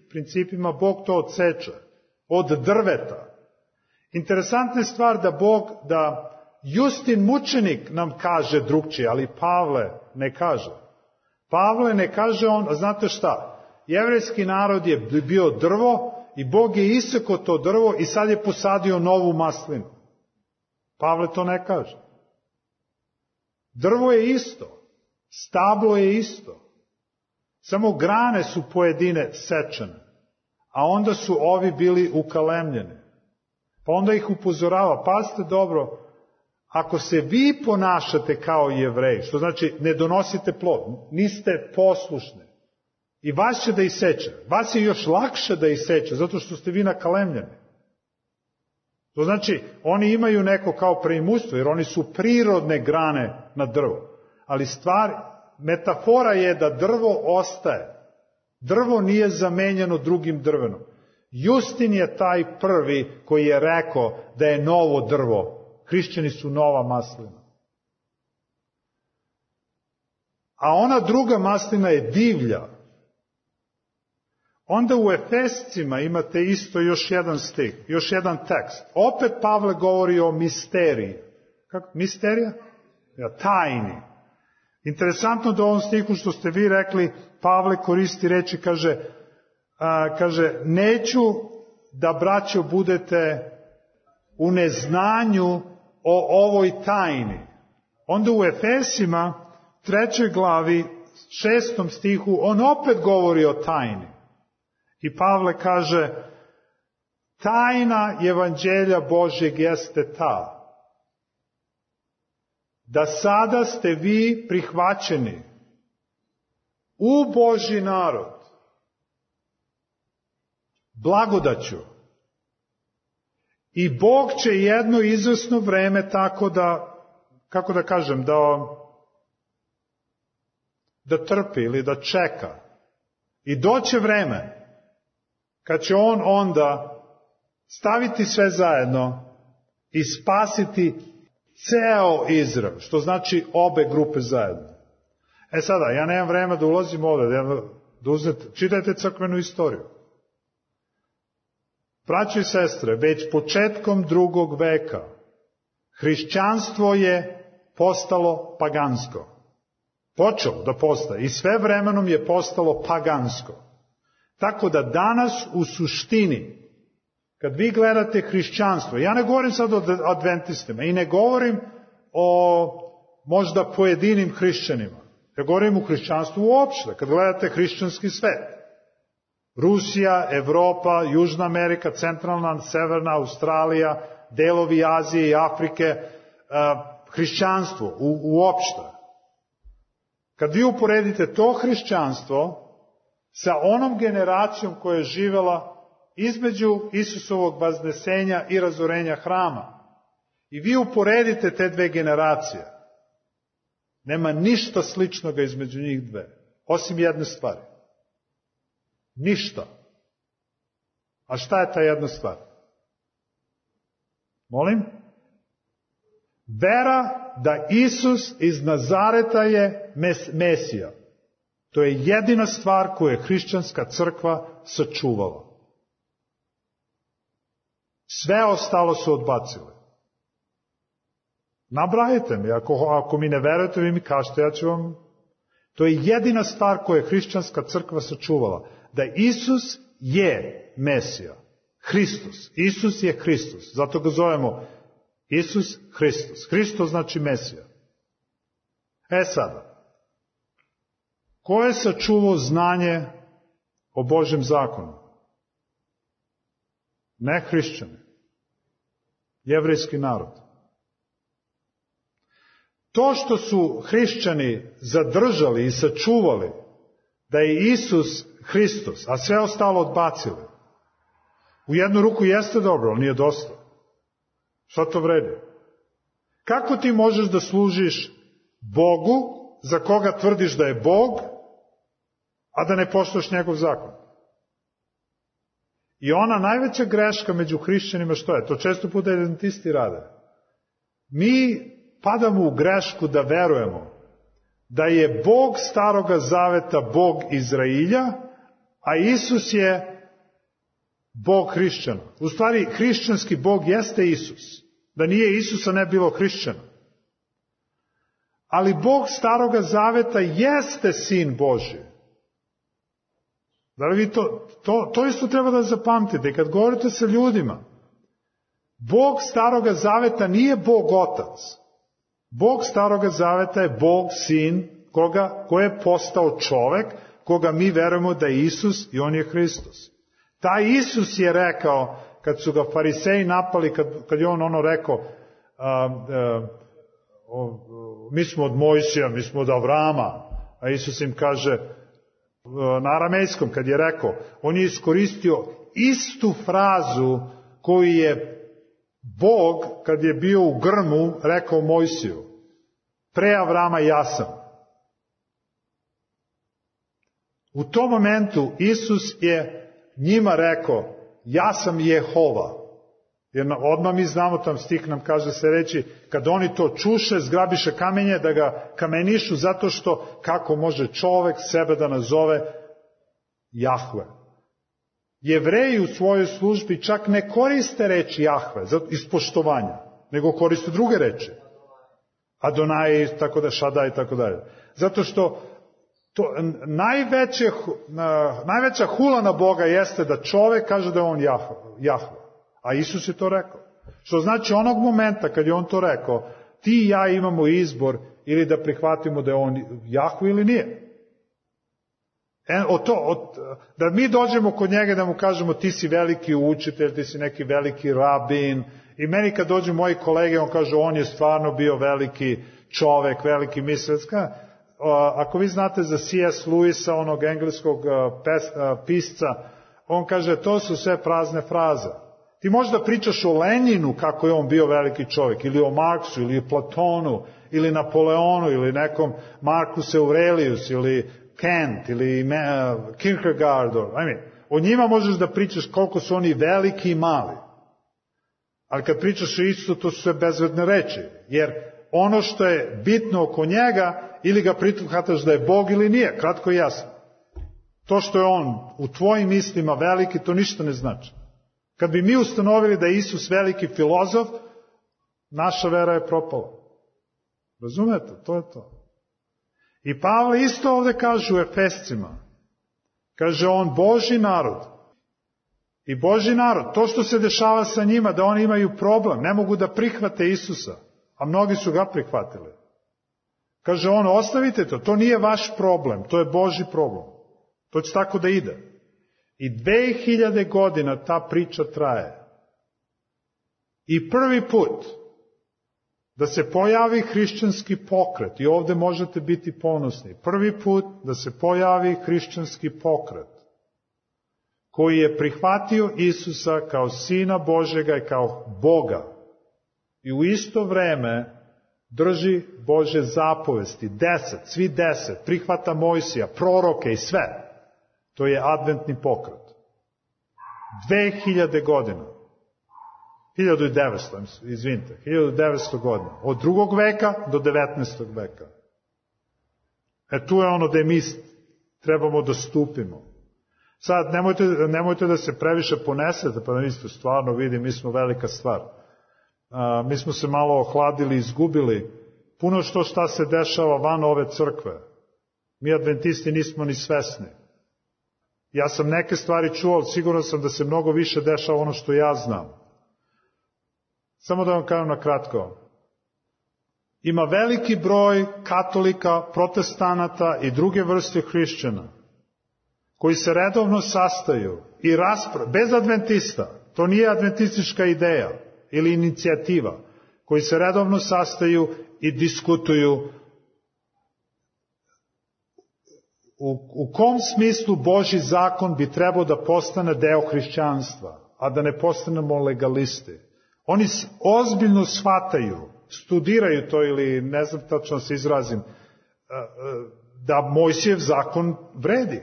principima, Bog to odseče. Od drveta. Interesantna je stvar da Bog, da Justin mučenik nam kaže drugčije, ali Pavle ne kaže. Pavle ne kaže on, a znate šta? Jevrejski narod je bio drvo i Bog je isekao to drvo i sad je posadio novu maslinu. Pavle to ne kaže. Drvo je isto. Stablo je isto. Samo grane su pojedine sečene. A onda su ovi bili ukalemljeni. Pa onda ih upozorava. Pazite dobro, ako se vi ponašate kao Jevreji, što znači ne donosite plod, niste poslušni, i vas će da iseče. Vas je još lakše da iseče, zato što ste vi nakalemljeni. To znači, oni imaju neko kao preimustvo, jer oni su prirodne grane na drvo. Ali stvar, metafora je da drvo ostaje. Drvo nije zamenjeno drugim drvenom. Justin je taj prvi koji je rekao da je novo drvo. Hrišćani su nova maslina. a ona druga maslina je divlja. Onda u Efescima imate isto još jedan stih, još jedan tekst. Opet Pavle govori o misteriji. Kako? Misterija? Ja, tajni. Interesantno da u ovom stihu što ste vi rekli, Pavle koristi reči, kaže, a, kaže neću da, braćo, budete u neznanju o ovoj tajni. Onda u Efesima, trećoj glavi, šestom stihu, on opet govori o tajni. I Pavle kaže, tajna evanđelja Božjeg jeste ta, da sada ste vi prihvaćeni u Božji narod blagodaću. I Bog će jedno izvesno vreme tako da, kako da kažem, da, da trpi ili da čeka. I doće vreme kad će on onda staviti sve zajedno i spasiti ceo Izrael, što znači obe grupe zajedno. E sada, ja nemam vremena da ulazim ovdje, da uzmete, čitajte crkvenu istoriju. Braćo i sestre, već početkom drugog veka hrišćanstvo je postalo pagansko. Počelo da postaje i sve vremenom je postalo pagansko. Tako da danas u suštini, kad vi gledate hrišćanstvo, ja ne govorim sad o adventistima i ne govorim o možda pojedinim hrišćanima. Ja govorim o hrišćanstvu uopšte, kad gledate hrišćanski svet. Rusija, Evropa, Južna Amerika, Centralna, Severna Australija, delovi Azije i Afrike, hrišćanstvo u, uopšte. Kad vi uporedite to hrišćanstvo sa onom generacijom koja je živela između Isusovog vaznesenja i razorenja hrama, i vi uporedite te dve generacije, nema ništa sličnoga između njih dve, osim jedne stvari. Ništa. A šta je ta jedna stvar? Molim? Vera da Isus iz Nazareta je mes, Mesija. To je jedina stvar koju je hrišćanska crkva sačuvala. Sve ostalo su odbacili. Nabrajite mi, ako, ako mi ne verujete, vi mi kažete, ja ću vam... To je jedina stvar koju je hrišćanska crkva sačuvala. Da Isus je Mesija. Hristos. Isus je Hristos. Zato ga zovemo Isus Hristos. Hristos znači Mesija. E sada, ko je sačuvao znanje o Božjem zakonu? Ne hrišćani. Jevrejski narod. To što su hrišćani zadržali i sačuvali da je Isus Hristos, a sve ostalo odbacili, u jednu ruku jeste dobro, ali nije dosta. Šta to vredi? Kako ti možeš da služiš Bogu, za koga tvrdiš da je Bog, a da ne poštuješ njegov zakon? I ona najveća greška među hrišćanima što je? To često puta adventisti rade. Mi padamo u grešku da verujemo da je Bog Staroga Zaveta Bog Izrailja, a Isus je Bog hrišćana. U stvari, hrišćanski Bog jeste Isus. Da nije Isusa ne bilo hrišćana. Ali Bog Staroga Zaveta jeste Sin Božji. Da li vi to, to, to isto treba da zapamtite. Kad govorite sa ljudima, Bog Staroga Zaveta nije Bog Otac. Bog Staroga Zaveta je Bog Sin, koga, ko je postao čovek, koga mi verujemo da je Isus i on je Hristos. Taj Isus je rekao, kad su ga fariseji napali, kad, kad je on ono rekao, a, a, o, mi smo od Mojsija, mi smo od Avrama, a Isus im kaže, na aramejskom, kad je rekao, on je iskoristio istu frazu koju je Bog, kad je bio u grmu, rekao Mojsiju, pre Avrama ja sam. U tom momentu Isus je njima rekao, ja sam Jehova. Jer odmah mi znamo, tam stih nam kaže se reći, kad oni to čuše, zgrabiše kamenje da ga kamenišu, zato što kako može čovek sebe da nazove Jahve. Jevreji u svojoj službi čak ne koriste reči Jahve iz poštovanja, nego koriste druge reči. Adonai, tako da, Šadaj, tako dalje. Zato što to, najveće, najveća hula na Boga jeste da čovek kaže da je on Jahve. A Isus je to rekao. Što znači onog momenta kad je on to rekao, ti i ja imamo izbor ili da prihvatimo da je on Jahve ili nije. E, o to, o, da mi dođemo kod njega da mu kažemo ti si veliki učitelj, ti si neki veliki rabin. I meni kad dođu moji kolege, on kaže on je stvarno bio veliki čovek, veliki mislilac. Ako vi znate za C S Lewisa, onog engleskog pes, pisca, on kaže to su sve prazne fraze. Ti možda pričaš o Leninu kako je on bio veliki čovjek, ili o Marksu, ili o Platonu, ili Napoleonu, ili nekom Marcus Aurelius, ili Kant, ili uh, Kierkegaard. I mean, o njima možeš da pričaš koliko su oni veliki i mali. Ali kad pričaš o Isusu, to su sve bezvedne reči. Jer ono što je bitno oko njega, ili ga prihvataš da je Bog ili nije, kratko i jasno. To što je on u tvojim mislima veliki, to ništa ne znači. Kad bi mi ustanovili da je Isus veliki filozof, naša vera je propala. Razumete? To je to. I Pavle isto ovde kaže u Efescima. Kaže on Božji narod. I Božji narod, to što se dešava sa njima, da oni imaju problem, ne mogu da prihvate Isusa, a mnogi su ga prihvatili. Kaže on, ostavite to, to nije vaš problem, to je Božji problem. To će tako da ide. I dve hiljade godina ta priča traje. I prvi put da se pojavi hrišćanski pokret, i ovde možete biti ponosni, prvi put da se pojavi hrišćanski pokret, koji je prihvatio Isusa kao Sina Božjega i kao Boga. I u isto vreme drži Božje zapovesti, deset, svi deset, prihvata Mojsija, proroke i sve. To je adventni pokret. Dve hiljade godina. Hiljadu i devetsto, izvinite, hiljadu devetsto godina. Od drugog veka do devetnaestog veka. E tu je ono da mi trebamo da stupimo. Sad, nemojte, nemojte da se previše ponesete, pa da mislite, stvarno vidi, mi smo velika stvar. A, mi smo se malo ohladili, izgubili. Puno što šta se dešava van ove crkve. Mi adventisti nismo ni svesni. Ja sam neke stvari čuo, ali siguran sam da se mnogo više dešava ono što ja znam. Samo da vam kažem na kratko. Ima veliki broj katolika, protestanata i druge vrste hrišćana koji se redovno sastaju i raspravljaju, bez adventista, to nije adventistička ideja ili inicijativa, koji se redovno sastaju i diskutuju u, u kom smislu Božji zakon bi trebao da postane deo hrišćanstva, a da ne postanemo legalisti. Oni ozbiljno shvataju, studiraju to ili ne znam tačno se izrazim, da Mojsijev zakon vredi.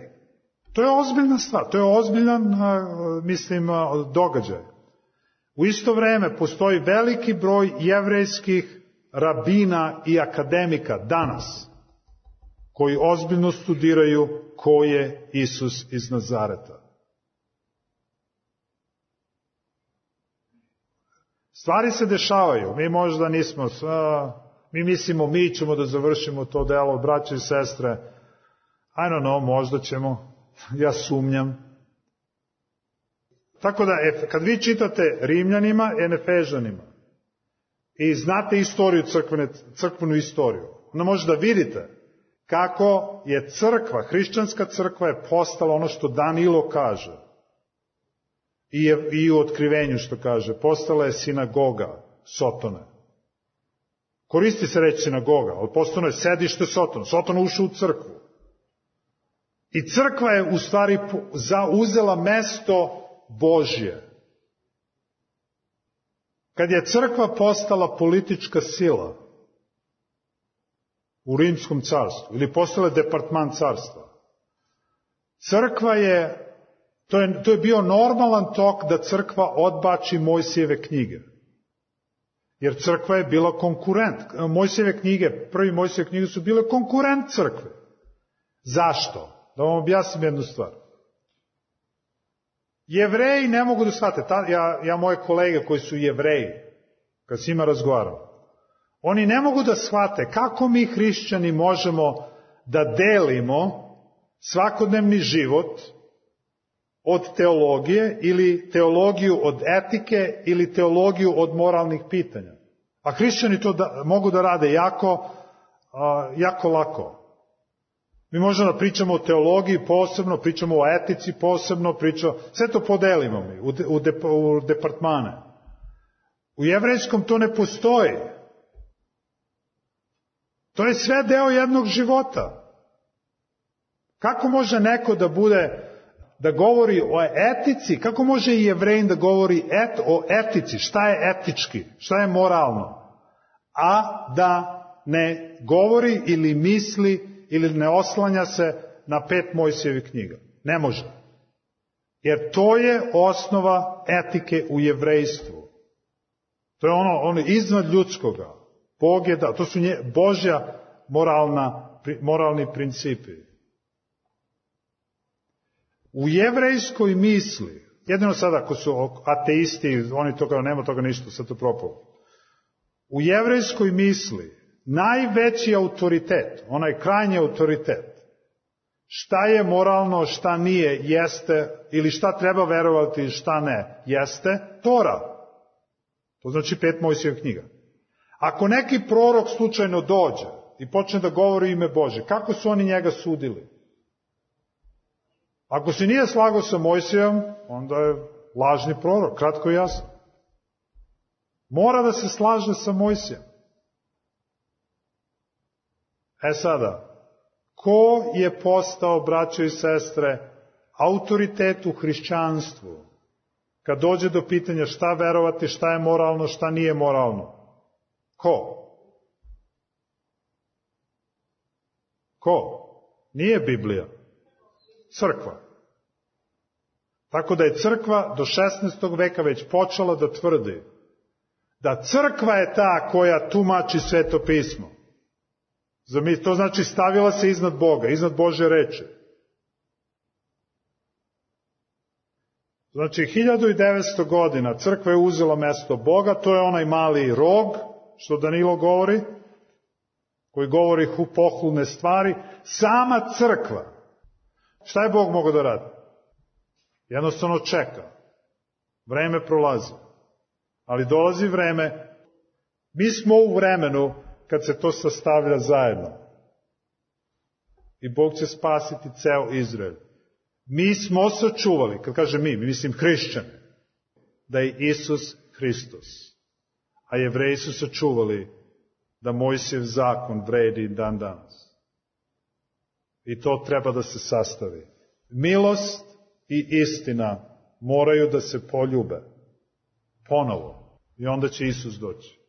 To je ozbiljna stvar, to je ozbiljan, mislim, događaj. U isto vreme postoji veliki broj jevrejskih rabina i akademika danas, koji ozbiljno studiraju ko je Isus iz Nazareta. Stvari se dešavaju, mi možda nismo, mi mislimo mi ćemo da završimo to delo, braće i sestre, I don't know, možda ćemo, ja sumnjam. Tako da, kad vi čitate Rimljanima i Efežanima i znate istoriju, crkvene, crkvenu istoriju, onda možete da vidite kako je crkva, hrišćanska crkva je postala ono što Danilo kaže. I, je, i u otkrivenju što kaže, postala je sinagoga Sotone. Koristi se reći sinagoga, ali postalo je sedište Sotona. Sotona ušao u crkvu. I crkva je u stvari zauzela mesto Božje. Kad je crkva postala politička sila u Rimskom carstvu, ili postala departman carstva, crkva je To je, to je bio normalan tok da crkva odbači Mojsijeve knjige. Jer crkva je bila konkurent. Mojsijeve knjige, prvi Mojsijeve knjige su bile konkurent crkve. Zašto? Da vam objasnim jednu stvar. Jevreji ne mogu da shvate. Ta, ja, ja moje kolege koji su Jevreji, kad s njima razgovaram, oni ne mogu da shvate kako mi hrišćani možemo da delimo svakodnevni život od teologije ili teologiju od etike ili teologiju od moralnih pitanja. A hrišćani to da, mogu da rade jako, a, jako lako. Mi možemo da pričamo o teologiji posebno, pričamo o etici posebno, pričamo, sve to podelimo mi u, de, u, de, u departmane. U jevrejskom to ne postoji. To je sve deo jednog života. Kako može neko da bude, da govori o etici, kako može i Jevrejin da govori et, o etici, šta je etički, šta je moralno, a da ne govori ili misli ili ne oslanja se na pet Mojsijevih knjiga. Ne može. Jer to je osnova etike u jevrejstvu. To je ono, ono iznad ljudskoga. Bog je dao, to su nje, Božja moralna, moralni principi. U jevrejskoj misli, jedino sada ako su ateisti, oni toga, nema toga ništa, sad to propalo. U jevrejskoj misli, najveći autoritet, onaj krajnji autoritet, šta je moralno, šta nije, jeste, ili šta treba verovati, šta ne, jeste Tora. To znači pet Mojsijevih knjiga. Ako neki prorok slučajno dođe i počne da govori ime Bože, kako su oni njega sudili? Ako se nije slagao sa Mojsijem, onda je lažni prorok, kratko i jasno. Mora da se slaže sa Mojsijem. E sada, ko je postao, braćo i sestre, autoritet u hrišćanstvu? Kad dođe do pitanja šta verovati, šta je moralno, šta nije moralno. Ko? Ko? Nije Biblija. Crkva. Tako da je crkva do šesnaestog veka već počela da tvrdi da crkva je ta koja tumači Sveto pismo. To znači stavila se iznad Boga, iznad Božje reči. Znači, hiljadu devetsto godina crkva je uzela mesto Boga, to je onaj mali rog, što Danilo govori, koji govori pohulne stvari. Sama crkva. Šta je Bog mogao da radi? Jednostavno čeka. Vreme prolazi. Ali dolazi vreme. Mi smo u vremenu kad se to sastavlja zajedno. I Bog će spasiti ceo Izrael. Mi smo sačuvali, kad kaže mi, mi mislim hrišćani, da je Isus Hristos. A Jevreji su sačuvali da Mojsijev zakon vredi dan danas. I to treba da se sastavi. Milost i istina moraju da se poljube. Ponovo. I onda će Isus doći.